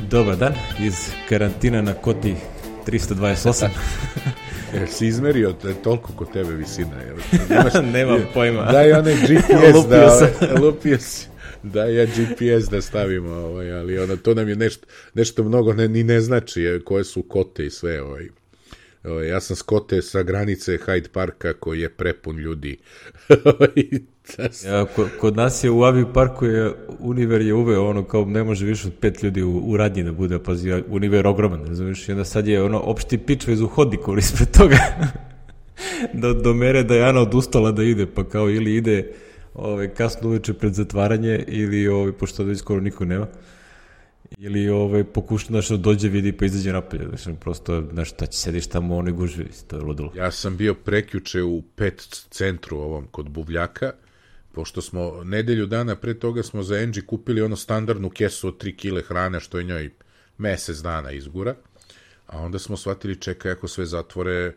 Dobar dan, iz karantina na Koti 328. Si izmerio, toliko kod tebe visina. Nemam pojma. Daj onaj GPS lupio si. Daj ja GPS da stavimo, ali to nam je nešto mnogo ne znači koje su kote i sve. Ja sam s kote sa granice Hyde Parka koji je prepun ljudi. Kod nas je u Avi Parku Univer je uveo kao ne može više od 5 ljudi u radnji da bude, pazi, Univer ogroman, razumiješ, i onda sad je opšti pič vez u hodniku ispred toga do mere da je Ana odustala da ide, pa kao ili ide kasno uveče pred zatvaranje ili pošto da skoro niko nema, ili pokuša da dođe, vidi pa izađe napolje, prosto, šta će sediš tamo u onoj gužvi, to je ludilo. Ja sam bio prekjuče u pet centru ovom kod Buvljaka, pošto smo nedelju dana pre toga smo za Angie kupili standardnu kesu od 3 kile hrane, što je njoj mesec dana izgura, a onda smo shvatili, čekaj, ako sve zatvore,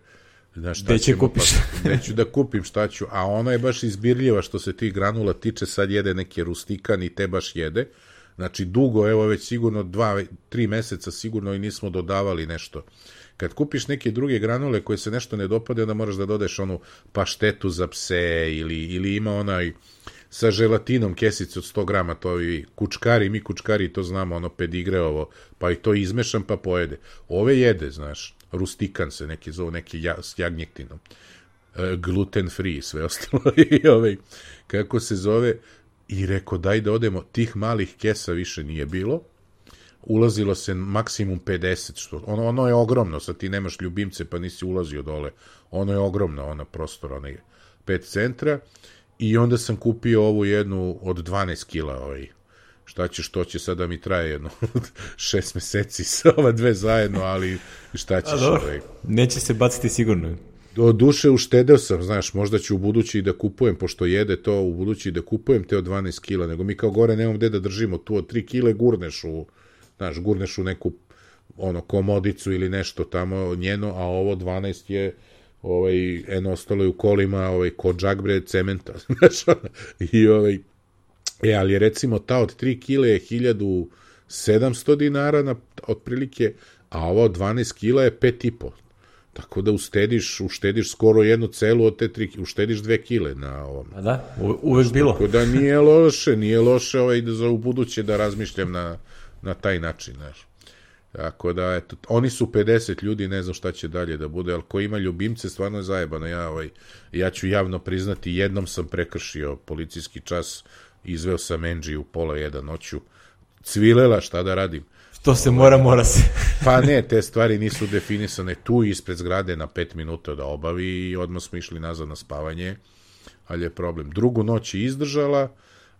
gde će kupiš? Neću da kupim, šta ću, a ona je baš izbirljiva što se tih granula tiče, sad jede neke rustikan i te baš jede, znači dugo, evo već sigurno 2-3 meseca sigurno i nismo dodavali nešto. Kad kupiš neke druge granule koje se nešto ne dopade, onda moraš da dodeš onu paštetu za pse ili ima onaj sa želatinom kesicu od 100 grama, to i kučkari, mi kučkari to znamo, pedigre ovo, pa i to izmešam pa pojede. Ove jede, znaš, rustikan se neki zove, neki s jagnjetinom, gluten free, sve ostalo i kako se zove, i rekao daj da odemo, tih malih kesa više nije bilo, ulazilo se maksimum 50, što, ono je ogromno, sad ti nemaš ljubimce pa nisi ulazio dole, ono je ogromno, prostor, 5 centra, i onda sam kupio ovu jednu od 12 kila, što će sada mi traje jedno 6 meseci sa ova dve zajedno, ali šta ćeš? Neće se baciti sigurno. Do duše uštedeo sam, znaš, možda ću u budući da kupujem, pošto jede to u budući da kupujem te od 12 kila, nego mi kao gore nemam gde da držimo, tu od 3 kile gurneš u neku komodicu ili nešto tamo njeno, a ovo 12 je ostalo je u kolima ko džagbre cementa, znaš, ali recimo ta od 3 kile je 1700 dinara otprilike, a ova od 12 kila je 5,5. Tako da uštediš skoro jednu celu od te 3, uštediš 2 kile na ovom. A da, uvek bilo. Tako da nije loše da za u buduće da razmišljam na taj način, znaš. Tako da, eto, oni su 50 ljudi, ne znam šta će dalje da bude, ali ko ima ljubimce, stvarno je zajebano. Ja ću javno priznati, jednom sam prekršio policijski čas, izveo sam Angie u 12:30 noću, cvilela, šta da radim. To se mora se. Pa ne, te stvari nisu definisane tu ispred zgrade na 5 minuta da obavi i odmah smo išli nazad na spavanje, ali je problem. Drugu noć je izdržala,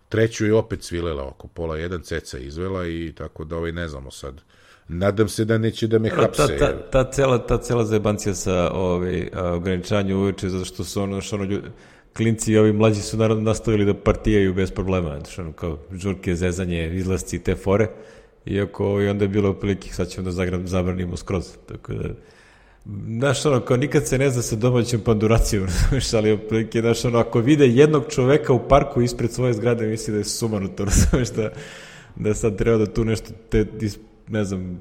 treću je opet cvilela oko 12:30, ceca izvela i tako da ne znamo sad. Nadam se da neće da me hapse. Ta cela zajebancija sa ograničavanjem uveče, zato što su klinci i ovi mlađi su naravno nastavili da partijaju bez problema, kao žurke, zezanje, izlasci i te fore. Iako onda je bilo prilike, sad ćemo da zabranimo skroz, tako da, znaš, kao nikad se ne zna sa domaćom panduracijom, ali prilike, znaš, ako vide jednog čoveka u parku ispred svoje zgrade, misli da je sumanuto, da sad treba da tu nešto, ne znam,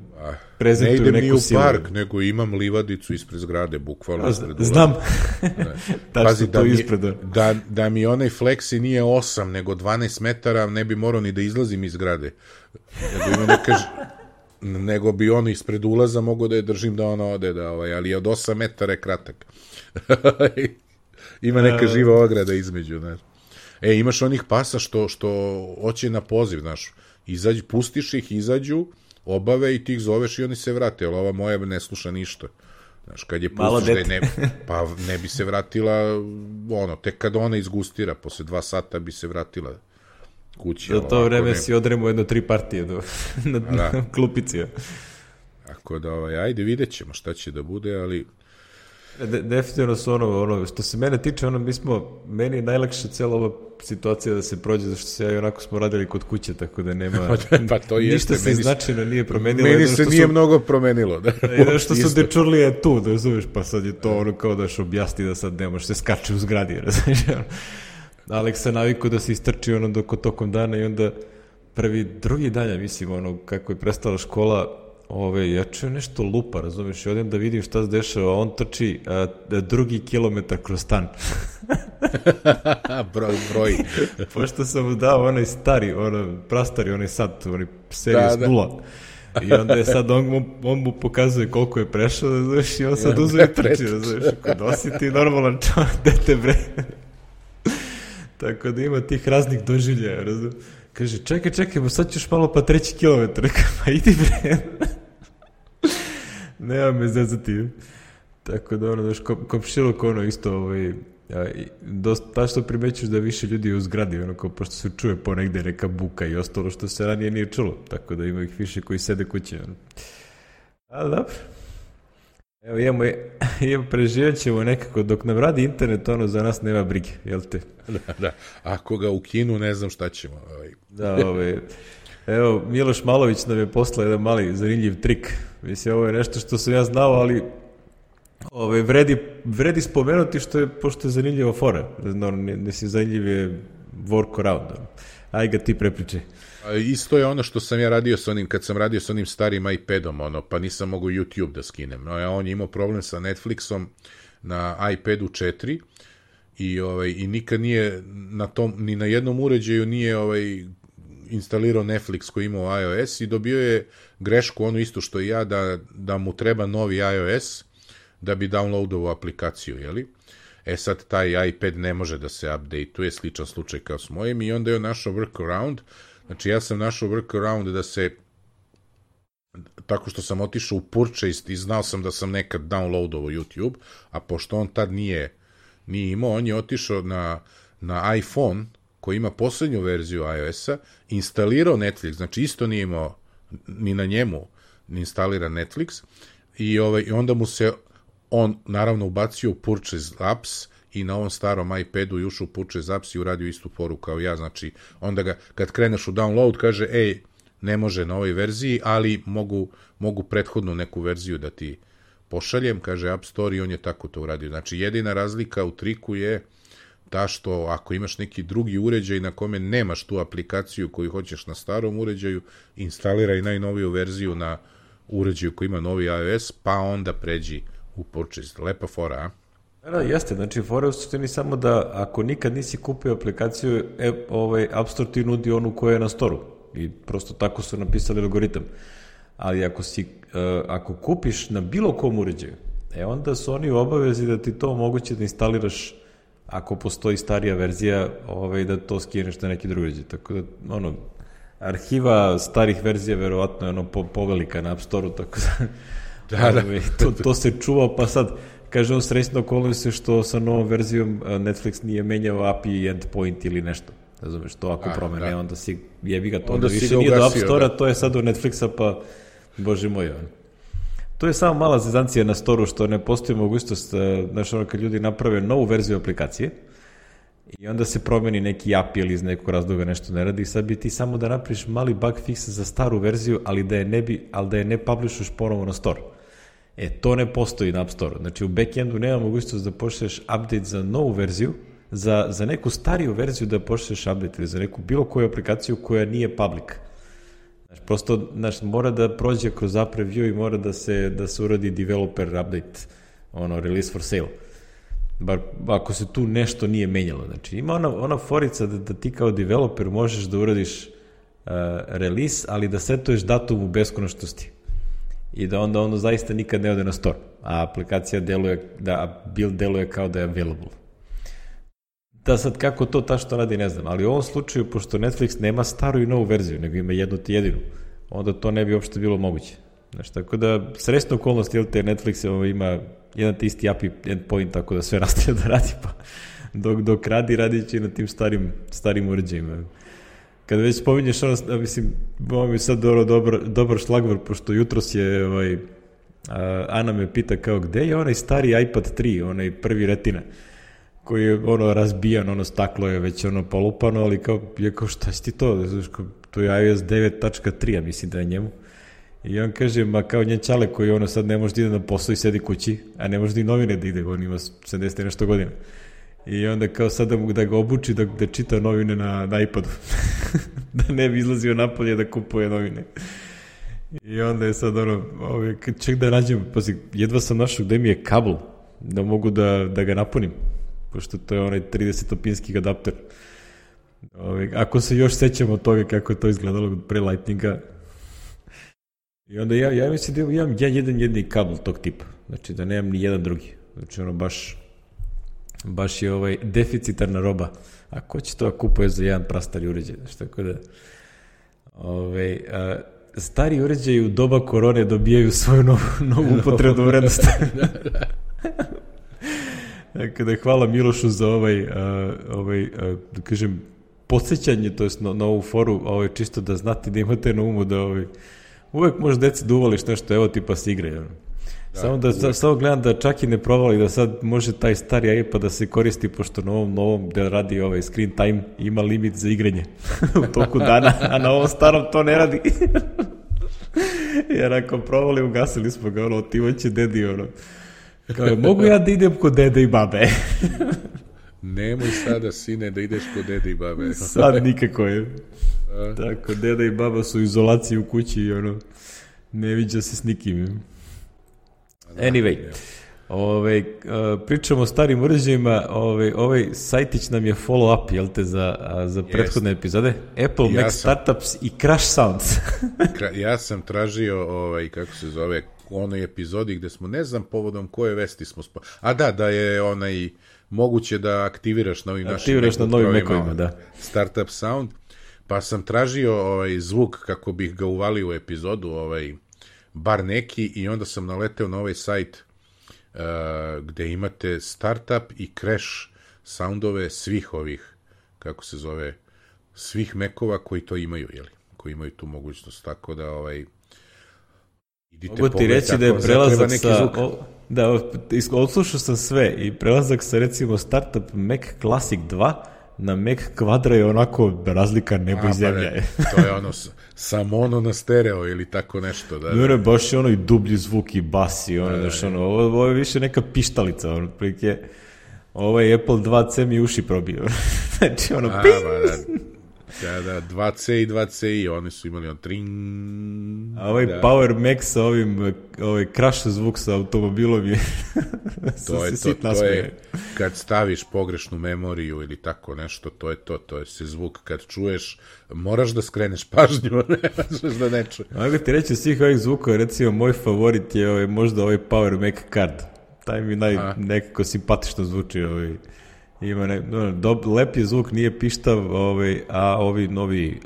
prezentuju neku silu. Ne idem ni u park, nego imam livadicu ispred zgrade, bukvalno ispred ulaza. Znam, pazi, da mi onaj Flexi nije 8, nego 12 metara, ne bi morao ni da izlazim iz zgrade. Nego bi on ispred ulaza mogao da je držim da ona ode, ali od 8 metara je kratak. Ima neka živa ograda između, znaš. Imaš onih pasa što hoće na poziv, znaš, pustiš ih, izađu, obave i ti ih zoveš i oni se vrate, ali ova moja ne sluša ništa. Znaš, kad je pustiš pa ne bi se vratila, tek kad ona izgustira, posle 2 sata bi se vratila kući. Za to vreme si odremo 3 partije na klupici. Tako da, ajde, vidjet ćemo šta će da bude, ali... Definitivno su što se mene tiče, meni je najlakša cijela ova situacija da se prođe, zašto se ja i onako smo radili kod kuće, tako da nema, pa to jeste, ništa se značajno nije promenilo. Meni se nije mnogo promenilo. Jedno što su dečurlije tu, da razumeš, pa sad je to kao da još objasni da sad ne može se skače u zgradi, razumeš. Aleks se navikao da se istrči tokom dana i onda drugi dan, ja mislim, ono, kako je prestala škola, ja čujem nešto lupa, razumiješ, i odem da vidim šta se dešava, on trči 2 kilometar kroz stan. broj. Pošto sam mu dao onaj stari, prastari, onaj sat, onaj serija s 0. I onda je sad, on mu pokazuje koliko je prešao, razumiješ, i on sad uzeo i trči, razumiješ, ako nosi ti normalan čovjek, dete bre. Tako da ima tih raznih doživljaja, razumiješ. Kaže, čekaj, sad ćeš malo pa 3 kilometar, pa idi bre. Nema me zezati. Tako da, daš, komšilok, isto, dosta što primećuš da više ljudi u zgradi, pošto se čuje ponegde neka buka i ostalo što se ranije nije čulo, tako da ima ih više koji sede kuće. Ali dobro. Evo, preživat ćemo nekako, dok nam radi internet, za nas nema brige, jel te? Da. Ako ga ukinu, ne znam šta ćemo. Da, evo, Miloš Malović nam je poslao jedan mali zanimljiv trik. Mislim, ovo je nešto što sam ja znao, ali vredi spomenuti pošto je zanimljiva fora. Mislim, zanimljiv je workaround. Aj ga ti prepričaj. Isto je ono što sam ja radio sa onim, kad sam radio sa onim starim iPadom, pa nisam mogao YouTube da skinem. On je imao problem sa Netflixom na iPadu 4 i nikad nije ni na jednom uređaju nije instalirao Netflix koji imao iOS i dobio je grešku, ono isto što i ja, da mu treba novi iOS da bi downloadovao aplikaciju, jeli? Sad taj iPad ne može da se update-uje, sličan slučaj kao s mojim, i onda je našao workaround. Znači, ja sam našao workaround da se, tako što sam otišao u purchase i znao sam da sam nekad downloadovao YouTube, a pošto on tad nije imao, on je otišao na iPhone, koji ima poslednju verziju iOS-a, instalirao Netflix, znači isto nije imao ni na njemu instaliran Netflix, i onda mu se on naravno ubacio u Purchase Apps i na ovom starom iPadu ušao u Purchase Apps i uradio istu foru kao ja, znači onda kad kreneš u download kaže, ne može na ovoj verziji, ali mogu prethodnu neku verziju da ti pošaljem, kaže App Store, i on je tako to uradio. Znači jedina razlika u triku je ta što ako imaš neki drugi uređaj na kome nemaš tu aplikaciju koju hoćeš na starom uređaju, instaliraj najnoviju verziju na uređaju koji ima novi iOS, pa onda pređi u purchase. Lepa fora, a? Da, jeste, znači fora u suštini samo da ako nikad nisi kupio aplikaciju, App Store ti nudi onu koja je na storu i prosto tako su napisali algoritam. Ali ako kupiš na bilo kom uređaju, onda su oni u obavezi da ti to moguće da instaliraš ako postoji starija verzija, da to skineš na neki drugi uređaj. Tako da, arhiva starih verzija verovatno je povelika na App Store-u, tako da, to se čuva, pa sad, kaže on, srećno okolnost se što sa novom verzijom Netflix nije menjao API endpoint ili nešto. Razumeš, to ako promene, onda si jebi ga to, onda više nije do App Store-a, to je sad do Netflixa, pa bože moj, To je samo mala zezancija na storu što ne postoji mogućnost, znaš, kad ljudi naprave novu verziju aplikacije i onda se promeni neki API ili iz nekog razloga nešto ne radi, sad bi ti samo da napraviš mali bug fix za staru verziju, ali da je ne publishuješ ponovo na store. To ne postoji na App Store. Znači u backendu nema mogućnost da pošlješ update za novu verziju, za neku stariju verziju da pošlješ update ili za neku bilo koju aplikaciju koja nije public. Prosto, mora da prođe kroz app review i mora da se uradi developer update, release for sale. Bar ako se tu nešto nije menjalo. Znači, ima ona forica da ti kao developer možeš da uradiš release, ali da setuješ datum u beskonačnosti. I da onda zaista nikad ne ode na store. A aplikacija build deluje kao da je available. Da sad kako to tačno radi ne znam, ali u ovom slučaju, pošto Netflix nema staru i novu verziju, nego ima jednu ti jedinu, onda to ne bi uopšte bilo moguće. Znači, tako da, srećna okolnost, Netflix ima jedan te isti API endpoint, tako da sve nastavlja da radi, pa dok radit će na tim starim uređajima. Kada već spominješ mislim, ovo mi je sad dobar šlagvor, pošto jutros je, Ana me pita kao, gde je onaj stari iPad 3, onaj prvi retina, koji je razbijan, staklo je već polupano, ali kao šta si ti to? To je iOS 9.3, ja mislim da je njemu. I on kaže, ma kao njen čale koji sad ne može da ide na posao i sedi kući, a ne može da i novine da ide, on ima 70 nešto godina. I onda kao sad da ga obuči da čita novine na iPadu. da ne bi izlazio napolje da kupuje novine. I onda je sad ček da nađem, jedva sam našao gde mi je kabel, da mogu da ga napunim, pošto to je onaj 30-opinski adapter. Ako se još sećamo od toga kako je to izgledalo pre Lightninga. I onda ja mislim da imam jedan jedini kabel tog tipa, znači da nemam ni jedan drugi, znači baš je deficitarna roba, a ko će to kupuje za jedan prastari uređaj, znači tako da stari uređaji u doba korone dobijaju svoju novu upotrebnu vrednost. Tako da hvala Milošu za da kažem, podsjećanje, to je na ovu foru, čisto da znate da imate na umu da uvek može deci da uvališ nešto, evo ti pa se igraju. Samo gledam da čak i ne provali da sad može taj stari iPad da se koristi, pošto na ovom novom da radi screen time ima limit za igranje u toku dana, a na ovom starom to ne radi. Jer ako provali, ugasili smo ga, otimaće dedi, kao, mogu ja da idem kod dede i babe? Nemoj sada, sine, da ideš kod dede i babe. Sad nikako je. Tako, deda i baba su u izolaciji u kući i ne viđa se s nikim. Anyway, pričamo o starim uređajima, ovaj sajtić nam je follow-up, jel te, za prethodne epizode? Apple, Mac Startups i Crash Sounds. Ja sam tražio, kako se zove, u onoj epizodi gde smo, ne znam povodom koje vesti smo da je moguće da aktiviraš na ovim našim Mac-ovima, da. Startup Sound, pa sam tražio zvuk kako bih ga uvalio u epizodu, bar neki, i onda sam naleteo na ovaj sajt gde imate startup i crash soundove svih ovih, kako se zove, svih Mac-ova koji to imaju, koji imaju tu mogućnost, tako da idite pogledati. Mogu ti reći da je prelazak sa... odslušao sam sve i prelazak sa recimo startup Mac Classic 2 na Mac Quadra je onako razlika nebo i zemlja. To je samo na stereo ili tako nešto. Da. Baš je i dublji zvuk i bas i ovo je više neka pištalica, otprilike ovaj Apple 2C mi uši probio. Znači ping! Da, 2C i 2CI, oni su imali tring. A Power Max sa crash zvuk sa automobilom je to je kad staviš pogrešnu memoriju ili tako nešto, to je se zvuk kad čuješ, moraš da skreneš pažnju, ne možeš da ne čuješ. Mogu ti reći svih ovih zvukova, recimo moj favorit je možda Power Mac Card, taj mi nekako simpatično zvuči, ima lep je zvuk, nije pištav, a ovi novi,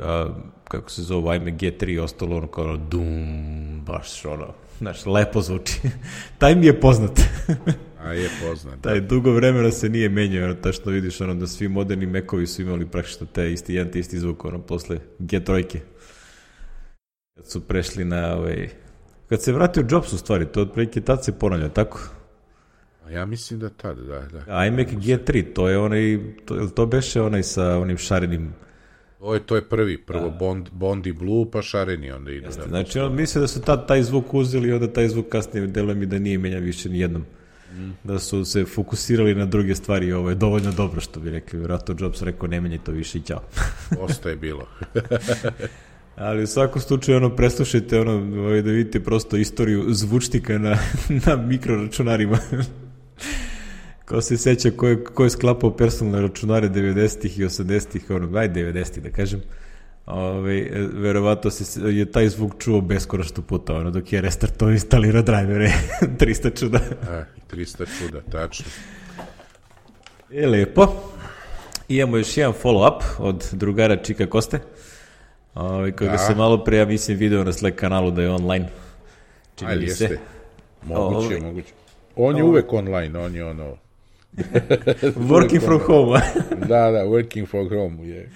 kako se zove, iMac G3 ostalo kao dum, baš znaš, lepo zvuči. Taj mi je poznat. A je poznat. Taj dugo vremena se nije menjao, tačno vidiš da svi moderni Mac-ovi su imali praktično jedan te isti zvuk, posle G3. Kad su prešli na kad se vratio Jobs u stvari, to otprilike tad se ponavlja, tako? Ja mislim da tad, da. iMac G3, to je to beše sa onim šarenim... To je prvo Bondi Blue, pa šareni onda ide. Znači, misle da su tad taj zvuk uzeli i onda taj zvuk kasnije deluje mi da nije menja više nijednom. Da su se fokusirali na druge stvari, ovo je dovoljno dobro, što bi rekli. Vjerojatno Jobs rekao, ne menjaj to više i ćao. Ostaje bilo. Ali u svakom slučaju, preslušajte, da vidite prosto istoriju zvučnika na mikroračunarima. Ko se seća ko je sklapao personalne računare 90-ih i 80-ih, 90-ih da kažem, verovatno je taj zvuk čuo beskonačno puta, dok je restartao i instalirao drajvere. 300 čuda. 300 čuda, tačno. Lepo. Imamo još jedan follow-up od drugara Čika Koste, koga sam malo pre, ja mislim, video na Slack kanalu da je online. Ali jeste. Moguće. On je uvek online, on je working from home. Da, working from home je.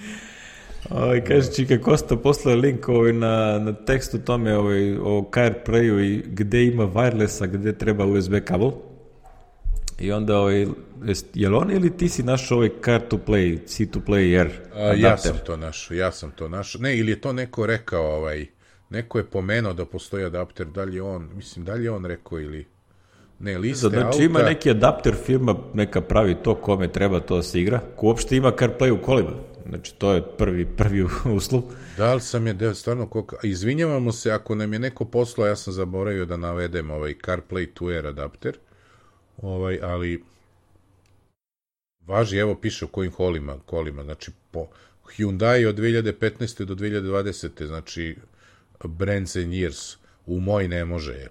Kaže Čika Kosta, poslao je link na tekst o tome o CarPlayu i gde ima wireless, a gde treba USB kabel. I onda, je li on ili ti si našao Car2Play, C2Play Air adapter? Ja sam to našao. Ne, ili je to neko rekao, neko je pomenuo da postoji adapter, da li je on rekao ili... Ne, liste auta... Znači ima neki adapter firma, neka pravi to kome treba to da se igra, ko uopšte ima CarPlay u kolima. Znači, to je prvi uslov. Da li sam je stvarno... Izvinjavamo se ako nam je neko poslao, ja sam zaboravio da navedem CarPlay to Air adapter, ali važi, evo piše u kojim kolima, znači po Hyundai od 2015. do 2020. znači brands and years, u moj ne može.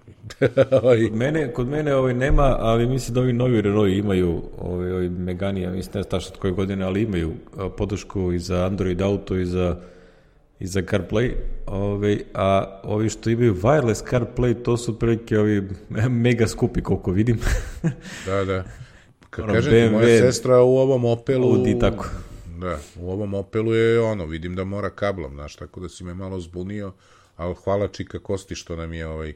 Kod mene nema, ali mislim da ovi novi Renault imaju, ovi Megane, ja mislim ne znam tačno od koje godine, ali imaju podršku i za Android Auto i za CarPlay, a ovi što imaju wireless CarPlay, to su prilike ovi mega skupi, koliko vidim. Da. Kažem ti, moja sestra u ovom Opelu... Audi, tako. Da, u ovom Opelu je vidim da mora kablom, znaš, tako da si me malo zbunio, ali hvala Čika Kosti što nam je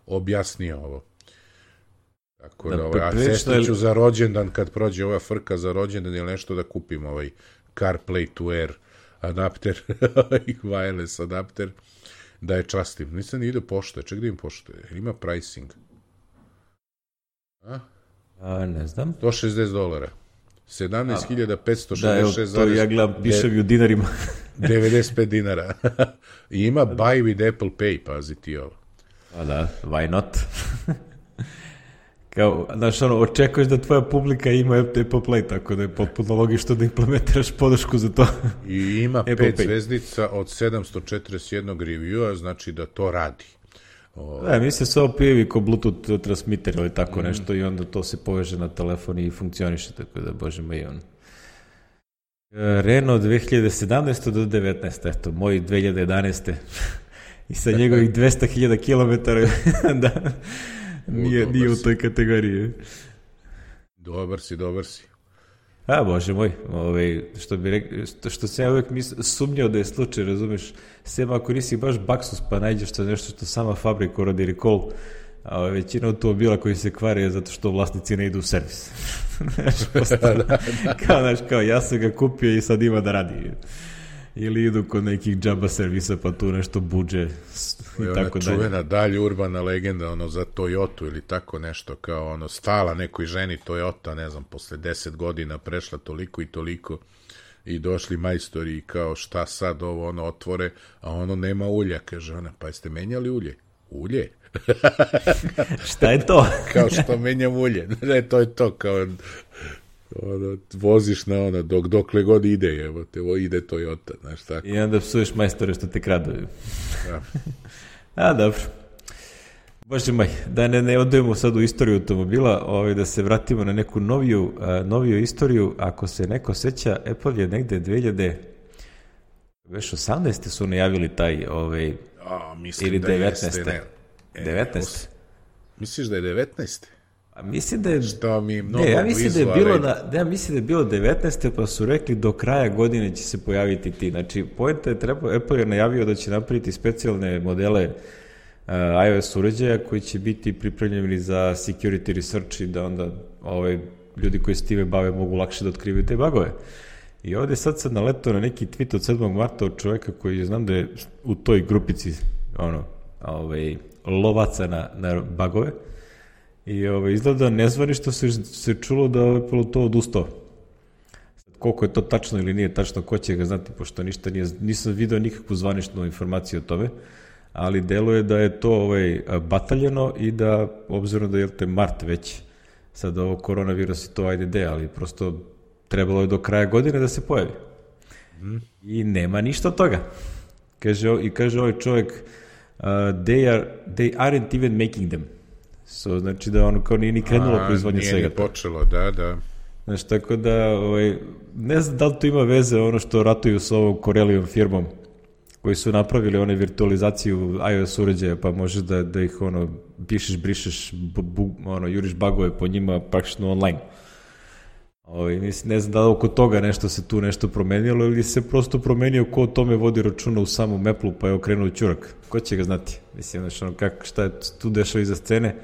objasnio ovo. Tako da, a sestri ću za rođendan, kad prođe ova frka za rođendan ili nešto, da kupim CarPlay to Air adapter, wireless adapter, da je častim. Nisam ni ide pošte, ček da im pošte, ima pricing. Ne znam. $160. 17.566. Da, to ja gledam, piše mi u dinarima. 95 dinara. I ima buy with Apple Pay, pazi ti ovo. Da, why not? Kao, znaš, očekuješ da tvoja publika ima Apple Play, tako da je potpuno logično da implementiraš podršku za to. I ima 5 zvezdica od 741 review-a, znači da to radi. Da, mislim se ovo pijevi ko Bluetooth transmitter ili tako nešto i onda to se poveže na telefon i funkcioniše, tako da, bože moj, Renault 2017. do 2019. Eto, moj 2011. I sa njegovih 200.000 km da nije u toj kategoriji. Dobar si. Bože moj, što sam ja uvijek sumnjao da je slučaj, razumeš, sem ako nisi baš baksus pa nađeš to nešto što sama fabrika radi recall, a većina automobila koji se kvare je zato što vlasnici ne idu u servis. Kao ja sam ga kupio i sad ima da radi. Ili idu kod nekih džaba servisa pa tu nešto buđe i tako dalje. Čuvena dalje urbana legenda za Toyotu ili tako nešto, kao stala nekoj ženi Toyota, ne znam, posle 10 godina prešla toliko i toliko i došli majstori i kao šta sad ovo otvore, a nema ulja, kaže ona, pa jeste menjali ulje? Ulje? Šta je to? Kao što menjam ulje. Ne, to je to, kao voziš na dokle god ide, evo te, ide Toyota, znaš tako. I onda psuješ majstore što te kradu. Dobro. Bože moj, da ne odujemo sad u istoriju automobila, da se vratimo na neku noviju istoriju. Ako se neko seća, Apple je negde 2018. su najavili taj ili 19. 19. Misliš da je 19. Mislim da je... Što mi mnogo mislim da je bilo 19. pa su rekli do kraja godine će se pojaviti ti. Znači, poenta je Apple je najavio da će napraviti specijalne modele iOS uređaja koji će biti pripremljeni za security research i da onda ljudi koji se time bave mogu lakše da otkrivaju te bagove. I ovdje sad naletao na neki tweet od 7. marta od čovjeka koji znam da je u toj grupici lovaca na bagove. I izgleda nezvanično se čulo da je Apple to odustao. Koliko je to tačno ili nije tačno, ko će ga znati, pošto ništa nisam vidio nikakvu zvaničnu informaciju o tome, ali deluje da je to bataljeno i da, obzirom da je mart već, sad ovo koronavirus i to ali prosto trebalo je do kraja godine da se pojavi. I nema ništa od toga. Kaže ovaj čovjek, they aren't even making them. Znači da kao nije ni krenulo proizvodnje svega. Nije ni počelo, da. Znači, tako da, ne znam da li to ima veze što ratuju s ovom Corellium firmom, koji su napravili one virtualizaciju iOS uređaja, pa možeš da ih pišeš, brišeš, juriš bagove po njima praktično online. Ne znam da li oko toga nešto se tu nešto promenilo ili se prosto promenio ko o tome vodi računa u samom Apple pa je okrenuo ćurak. Ko će ga znati? Mislim, šta je tu dešao iza scene,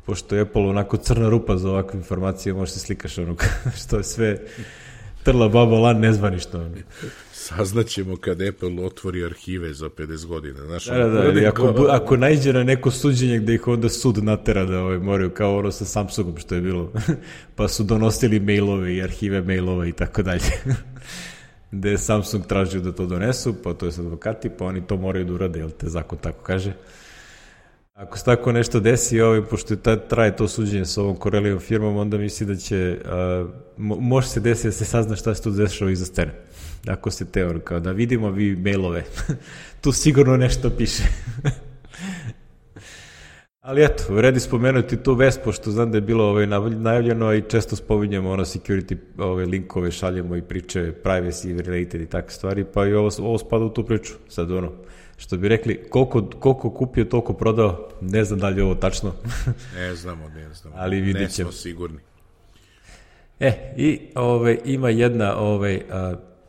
pošto je Apple onako crna rupa za ovakve informacije, možeš se slikaš što je sve trla baba lan nezvanično. Saznaćemo kad Apple otvori arhive za 50 godina. Ako naiđe na neko suđenje gde ih onda sud natera da moraju, kao sa Samsungom što je bilo, pa su donosili mailove i arhive mailova i tako dalje. gde je Samsung tražio da to donesu, pa to je sa advokati, pa oni to moraju da urade, jel te zakon tako kaže. Ako se tako nešto desi, pošto traje to suđenje sa ovom Corellijevom firmom, onda misli da će, može se desiti da se sazna šta se tu dešava iza scene. Ako se kao da vidimo vi mailove, tu sigurno nešto piše. Ali eto, vredi spomenuti tu vest, pošto znam da je bilo najavljeno i često spominjamo security linkove, šaljemo i priče, privacy related i takve stvari, pa i ovo spada u tu priču. Sad što bi rekli, koliko kupio, toliko prodao, ne znam da li je ovo tačno. Ne znamo. Ali vidjet ćemo. Ne smo sigurni. I ima jedna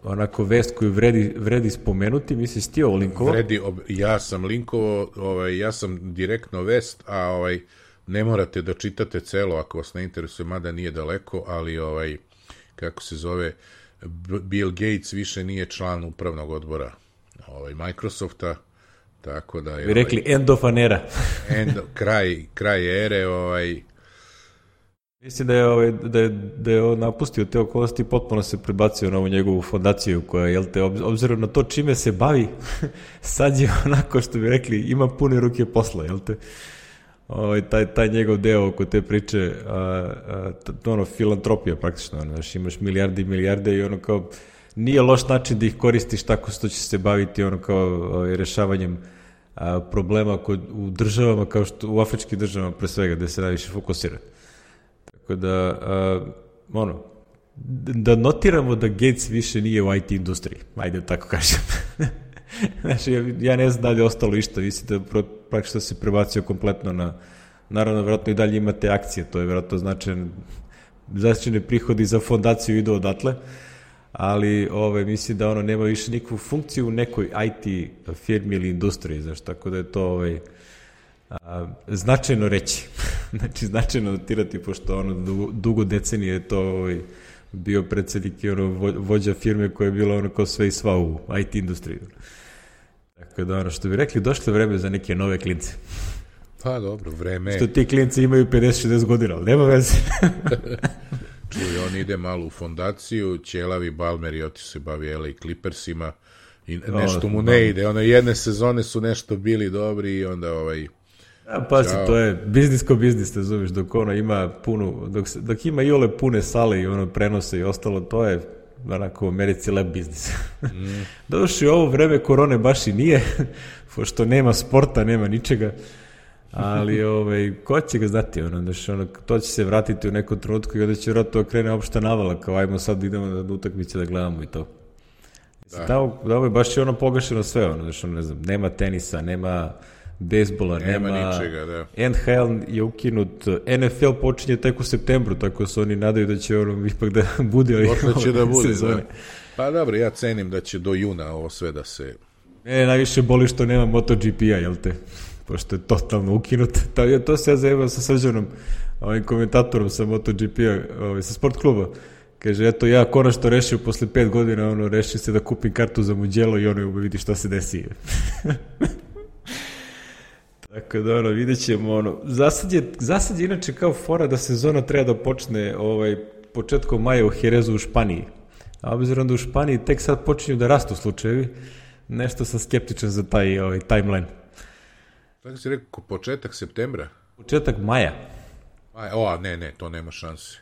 onako vest koju vredi spomenuti, misliš ti ovo linkovo? Ja sam linkovo, ja sam direktno vest, a ne morate da čitate celo ako vas ne interesuje, mada nije daleko, ali kako se zove, Bill Gates više nije član upravnog odbora Microsofta, tako da je... Bi rekli end of an era. kraj ere, Mislim da je on napustio te okolnosti i potpuno se prebacio na ovu njegovu fondaciju koja, jel te, obzirom na to čime se bavi, sad je onako što bi rekli, ima pune ruke posla, jel te? Taj njegov deo oko te priče, filantropija praktično, znaš, imaš milijarde i milijarde i kao, nije loš način da ih koristiš tako što će se baviti kao rešavanjem problema u državama, kao što u afričkim državama pre svega, gde se najviše fokusira. Tako da notiramo da Gates više nije u IT industriji, ajde tako kažem. Znači, ja ne znam da li je ostalo išta, mislim da praktično se prebacio kompletno na, naravno, vjerojatno i dalje imate akcije, to je vjerojatno značajne prihodi za fondaciju idu odatle, ali mislim da nema više nikakvu funkciju u nekoj IT firmi ili industriji, znaš, tako da je to značajno reći. Znači, značajno notirati, pošto dugo decenije je to bio predsednik i vođa firme koja je bila kao sve i sva u IT industriji. Tako da što bi rekli, došlo vreme za neke nove klince. Pa dobro, vreme. Što ti klinci imaju 50-60 godina, ali nema veze. Čuj, on ide malo u fondaciju, ćelavi Balmer i otišao se bavi LA Clippersima i nešto mu ne ide. Jedne sezone su nešto bili dobri i onda Pazi, to je biznis ko biznis, te zoveš, dok ima dok ima i ole pune sale i prenose i ostalo, to je onako u Americi lep biznis. Došli u ovo vreme korone baš i nije, pošto nema sporta, nema ničega, ali ko će ga znati, to će se vratiti u nekom trenutku i onda će vratno krene opšta navala, kao ajmo sad idemo na utakmice da gledamo i to. Da ovo je baš pogašeno sve, ne znam, nema tenisa, nema bejsbola, nema ničega, da. NHL je ukinut, NFL počinje tek u septembru, tako se oni nadaju da će ipak da bude sezone. Da. Pa dobro, ja cenim da će do juna ovo sve da se... Mene najviše boli što nema MotoGP-a, jel te? Pošto je totalno ukinut. To se ja zajebao sa Srđanom, ovim komentatorom sa MotoGP-a, sa sport kluba. Kaže, eto, ja konačno rešio posle 5 godina, rešio se da kupim kartu za Mugello i vidi šta se desi. Tako da, vidjet ćemo, za sad je inače kao fora da sezona treba da počne početkom maja u Jerezu u Španiji. A obzirom da u Španiji tek sad počinju da rastu slučajevi, nešto sam skeptičan za taj timeline. Tako si rekao, početak septembra? Početak maja. Ne, to nema šanse.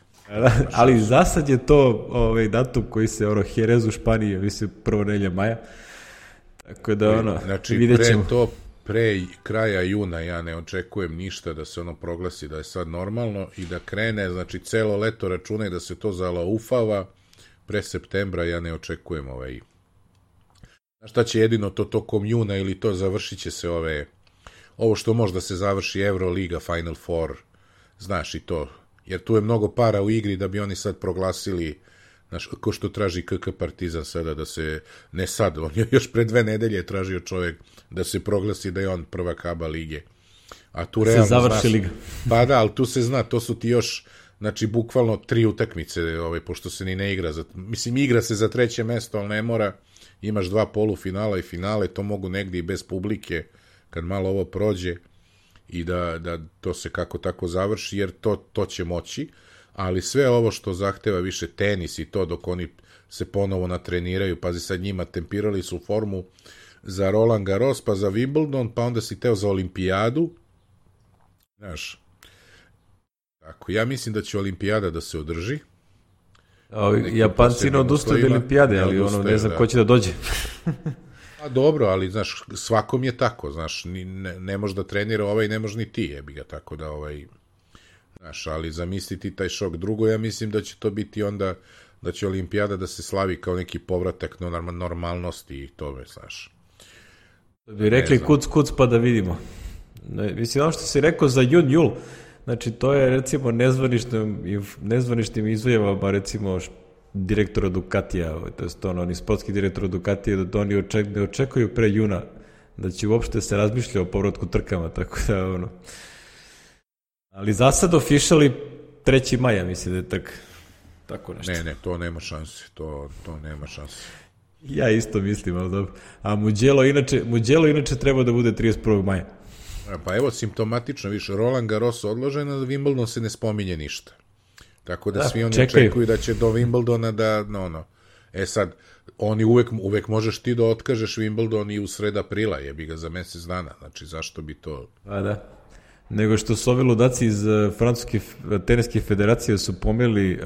Ali za sad je to datum koji se Jerez u Španiji, mislim, prvo nedelja maja. Tako da, znači, vidjet ćemo. Pre kraja juna ja ne očekujem ništa da se proglasi da je sad normalno i da krene, znači celo leto računaj da se to zalaufava, pre septembra ja ne očekujem Znaš šta će jedino to tokom juna ili to završit će se ovo što možda se završi Euroliga, Final Four, znaš i to, jer tu je mnogo para u igri da bi oni sad proglasili, znaš, ko što traži KK Partizan sada da se, ne sad, on je još pre 2 nedelje tražio čovjek da se proglasi da je on prvak ABA lige. A tu realno, se završi liga. Pa da, ali tu se zna, to su ti još, znači, bukvalno 3 utakmice, pošto se ni ne igra, mislim, igra se za 3. mesto, ali ne mora, imaš 2 polufinala i finale, to mogu negdje i bez publike, kad malo ovo prođe, i da to se kako tako završi, jer to će moći, ali sve ovo što zahteva više tenis i to, dok oni se ponovo natreniraju, pazi sad njima, tempirali su formu za Roland Garros, pa za Wimbledon, pa onda si teo za olimpijadu, znaš, tako, ja mislim da će olimpijada da se održi. Japanci ne odustaju od olimpijade, ali ono, ne znam ko će da dođe. A dobro, ali, znaš, svakom je tako, znaš, ne može da trenira ovaj, ne može ni ti, jebi ga, tako da, znaš, ali zamisliti taj šok. Drugo, ja mislim da će to biti onda, da će olimpijada da se slavi kao neki povratak normalnosti i tome, znaš. Da bi rekli kuc pa da vidimo. Mislim, ono što si rekao za jul, znači to je recimo nezvaničnim izjavama recimo direktora Ducatija, to je oni sportski direktor Ducatija, da oni ne očekuju pre juna da će uopšte se razmišlja o povratku trkama, tako da ono. Ali za sad officially 3. maja mislim da je trk. Tako nešto. Ne, to nema šanse, to nema šanse. Ja isto mislim, ali dobro. A Mugello inače treba da bude 31. maja. Pa evo, simptomatično više, Roland Garros odložen, a Wimbledon se ne spominje ništa. Tako da svi oni očekuju da će do Wimbledona da, sad, oni uvek možeš ti da otkažeš Wimbledon i u sred aprila, jebi ga za mesec dana, znači zašto bi to... A da, nego što su ovi ludaci iz Francuske teniske federacije su pomerili,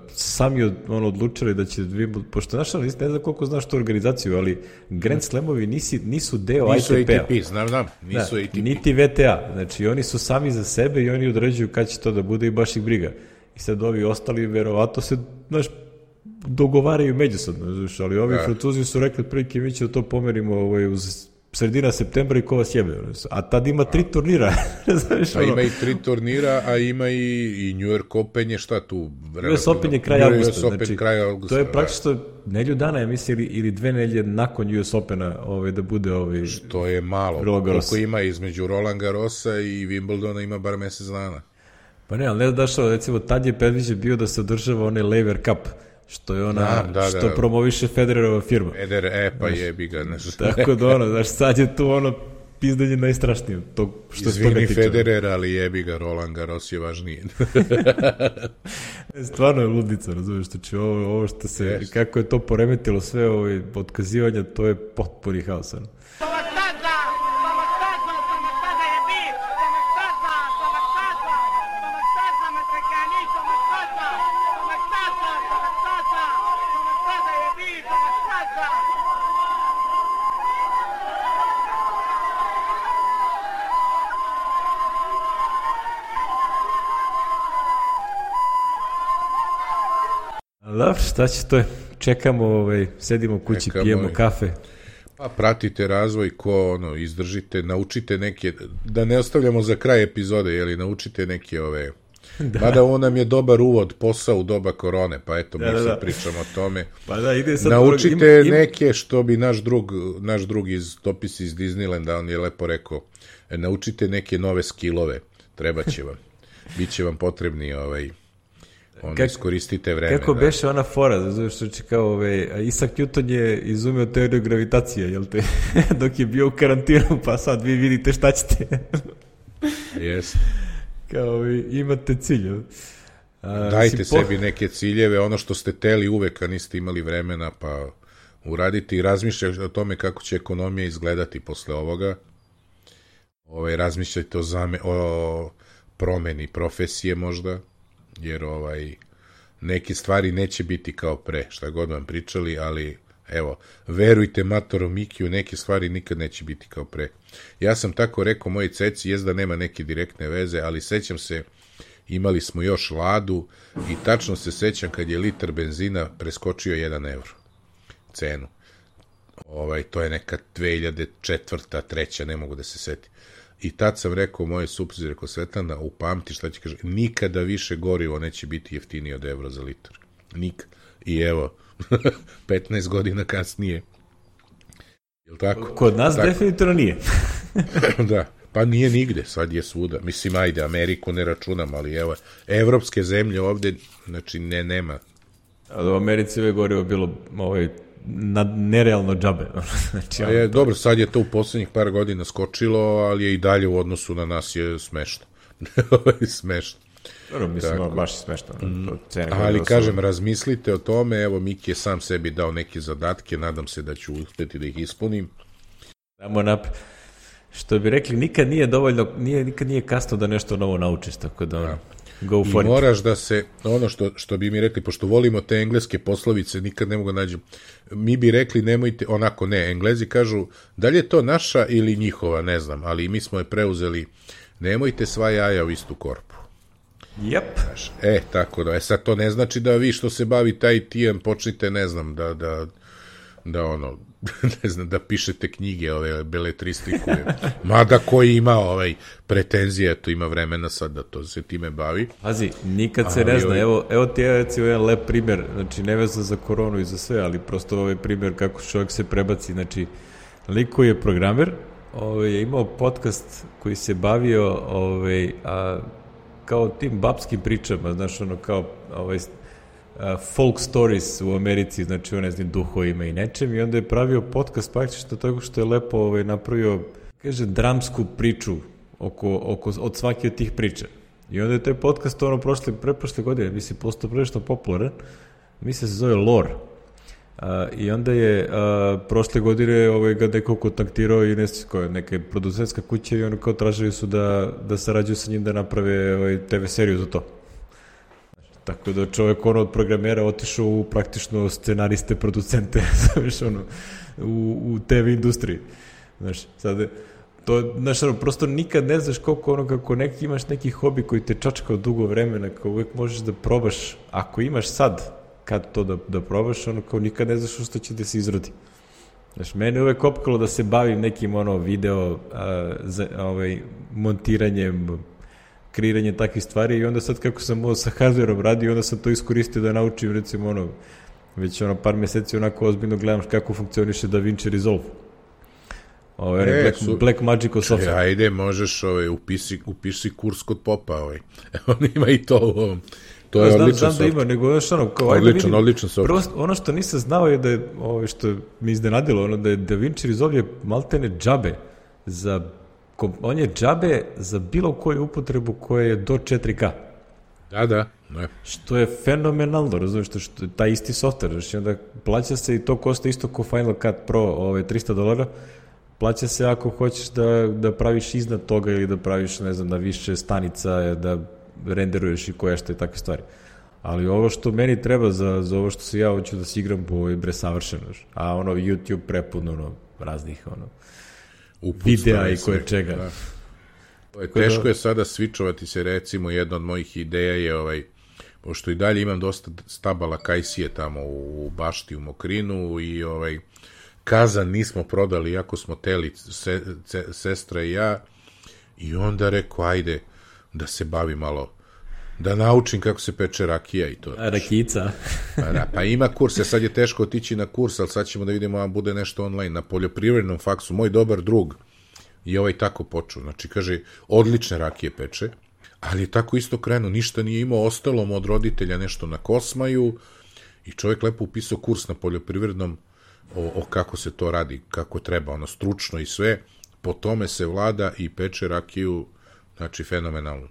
sami odlučili da će Wimbledon, pošto ne znam koliko znaš tu organizaciju, ali Grand Slamovi nisu deo nisu ITP-a. ATP, znam, nisu ATP. Niti VTA, znači oni su sami za sebe i oni određuju kad će to da bude i baš ih briga. I sad ovi ostali verovatno se, dogovaraju međusobno, ali ovi Francuzi su rekli prilike mi će to pomerimo uz sredina septembra i ko vas jebe. A tad ima 3 turnira. A ima i 3 turnira, a ima i New York Open je šta tu? US Open je kraj avgusta. Znači, to je praktično nedelju dana, ja mislim, ili 2 nedelje nakon US Opena da bude što je malo. Koliko ima između Roland Garrosa i Wimbledona ima bar mesec dana. Pa ne, ali ne dašao, recimo, tad je predviđen bio da se održava onaj Lever Cup, što je što promoviše Federerova firma. Pa jebi ga. Tako da, sad je tu pizdanje najstrašnije. Izvini Federer, ali jebi ga, Roland Garros je važnije. Stvarno je ludnica, razumiješ, znači ovo što se, kako je to poremetilo sve otkazivanja, to je potpuni haos. Dobro, šta će to? Čekamo, sedimo u kući, pijemo kafe. Pa pratite razvoj, izdržite, naučite neke, da ne ostavljamo za kraj epizode, naučite neke Mada ovo nam je dobar uvod, posao u doba korone, pa eto, mi sad pričamo o tome. Pa da, ide sad naučite neke, što bi naš drug iz Topis iz Disneylanda, on je lepo rekao, naučite neke nove skillove, treba će vam, bit će vam potrebni iskoristite vreme. Kako beše ona fora, znači kao Isaac Newton je izumeo teoriju gravitacije, jel te? Dok je bio u karantinu, pa sad vi vidite šta ćete. Yes. Kao imate cilj. Dajte sebi neke ciljeve, ono što ste teli uvek, a niste imali vremena, pa uradite i razmišljajte o tome kako će ekonomija izgledati posle ovoga. Razmišljajte o promeni profesije možda, jer neke stvari neće biti kao pre, šta god vam pričali, ali evo, verujte Matoro Mikiju, neke stvari nikad neće biti kao pre. Ja sam tako rekao moji ceci, da nema neke direktne veze, ali sećam se, imali smo još Ladu i tačno se sećam kad je litar benzina preskočio 1 evro cenu. To je neka 2004. 2003. ne mogu da se setim. I tad sam rekao moje supruzi, rekao Svetlana, upamti šta će kaže, nikada više gorivo neće biti jeftinije od evro za litar. Nikad. I evo, 15 godina kasnije. Jel tako? Kod nas tako? Definitivno nije. Da, pa nije nigde, sad je svuda. Mislim, ajde, Ameriku ne računam, ali evo, evropske zemlje ovde, znači, nema. A u Americi ove gorivo bilo nerealno džabe. Znači, dobro, sad je to u poslednjih par godina skočilo, ali je i dalje u odnosu na nas je smešno. Smešno. Dobro, mislim, baš je smešno. Ali kažem, razmislite o tome, evo Miki je sam sebi dao neke zadatke, nadam se da ću uspeti da ih ispunim. Što bi rekli, nikad nije dovoljno, nikad nije kasno da nešto novo naučiš, tako da go for it. I moraš da se, ono što bi mi rekli, pošto volimo te engleske poslovice, nikad ne mogu nađem, mi bi rekli nemojte, onako ne, Englezi kažu, da li je to naša ili njihova, ne znam, ali mi smo je preuzeli, nemojte sva jaja u istu korpu. Yep. Tako da, sad to ne znači da vi što se bavite IT-em počnite, ne znam, da ono, ne znam, da pišete knjige, ove beletristiku, mada koji ima pretenzije, to ima vremena sad da to se time bavi. Pazi, nikad se ne zna, evo ti je recimo jedan lep primjer, znači ne vezan za koronu i za sve, ali prosto ovaj primjer kako čovjek se prebaci, znači lik koji je programer, je imao podcast koji se bavio kao tim babskim pričama, znaš, ono kao folk stories u Americi, znači ne znam, duhovima i nečem, i onda je pravio podcast praktično tako što je lepo napravio, kaže, dramsku priču od svake od tih priča. I onda je taj podcast preprošle godine, mislim, postao prilično popularan, mislim se zove Lore. I onda je prošle godine ga neko kontaktirao i neka producentska kuća i ono kao tražili su da sarađuju sa njim da naprave TV seriju za to. Tako da čovjek od programera otišao u praktično scenariste, producente, u TV industriji. Znaš, sad prosto nikad ne znaš koliko kako imaš neki hobi koji te čačkao dugo vremena, kao uvijek možeš da probaš, ako imaš sad, kad to da probaš, kao nikad ne znaš što će da se izrodi. Znaš, mene uvek opkalo da se bavim nekim video montiranjem, kreiranje takvih stvari i onda sad kako sam sa hardwareom radio, onda sam to iskoristio da naučim, recimo već par meseci onako ozbiljno gledam kako funkcioniše DaVinci Resolve. Black Magical software. Ajde, možeš, upisi kurs kod Popa, on ima i to u ovom. To je odličan software. Da ima, nego kao odličan software. Ono što nisam znao je da je, što mi iznenadilo, da je DaVinci Resolve je maltene džabe on je džabe za bilo koju upotrebu koja je do 4K. Da. Što je fenomenalno, razumiješ, što je taj isti software, znači onda plaća se i to košta isto kao Final Cut Pro, $300, plaća se ako hoćeš da praviš iznad toga ili da praviš, ne znam, na više stanica, da renderuješ i što je takve stvari. Ali ovo što meni treba za ovo što se ja hoću da se igram, bo je savršeno. A YouTube prepun raznih videa i koje čega. Da. Teško je sada svičovati se, recimo, jedna od mojih ideja je pošto i dalje imam dosta stabala kajsije tamo u bašti u Mokrinu i kazan nismo prodali, iako smo teli sestra i ja, i onda rekao, ajde da se bavi malo, da naučim kako se peče rakija i to. Rakica. Pa ima kurs, sad je teško otići na kurs, ali sad ćemo da vidimo da bude nešto online. Na poljoprivrednom faksu, moj dobar drug je tako počeo, znači kaže, odlične rakije peče, ali je tako isto krenuo, ništa nije imao, ostalo mu od roditelja nešto na Kosmaju i čovjek lepo upisao kurs na poljoprivrednom o kako se to radi, kako treba, stručno i sve, po tome se vlada i peče rakiju, znači fenomenalno.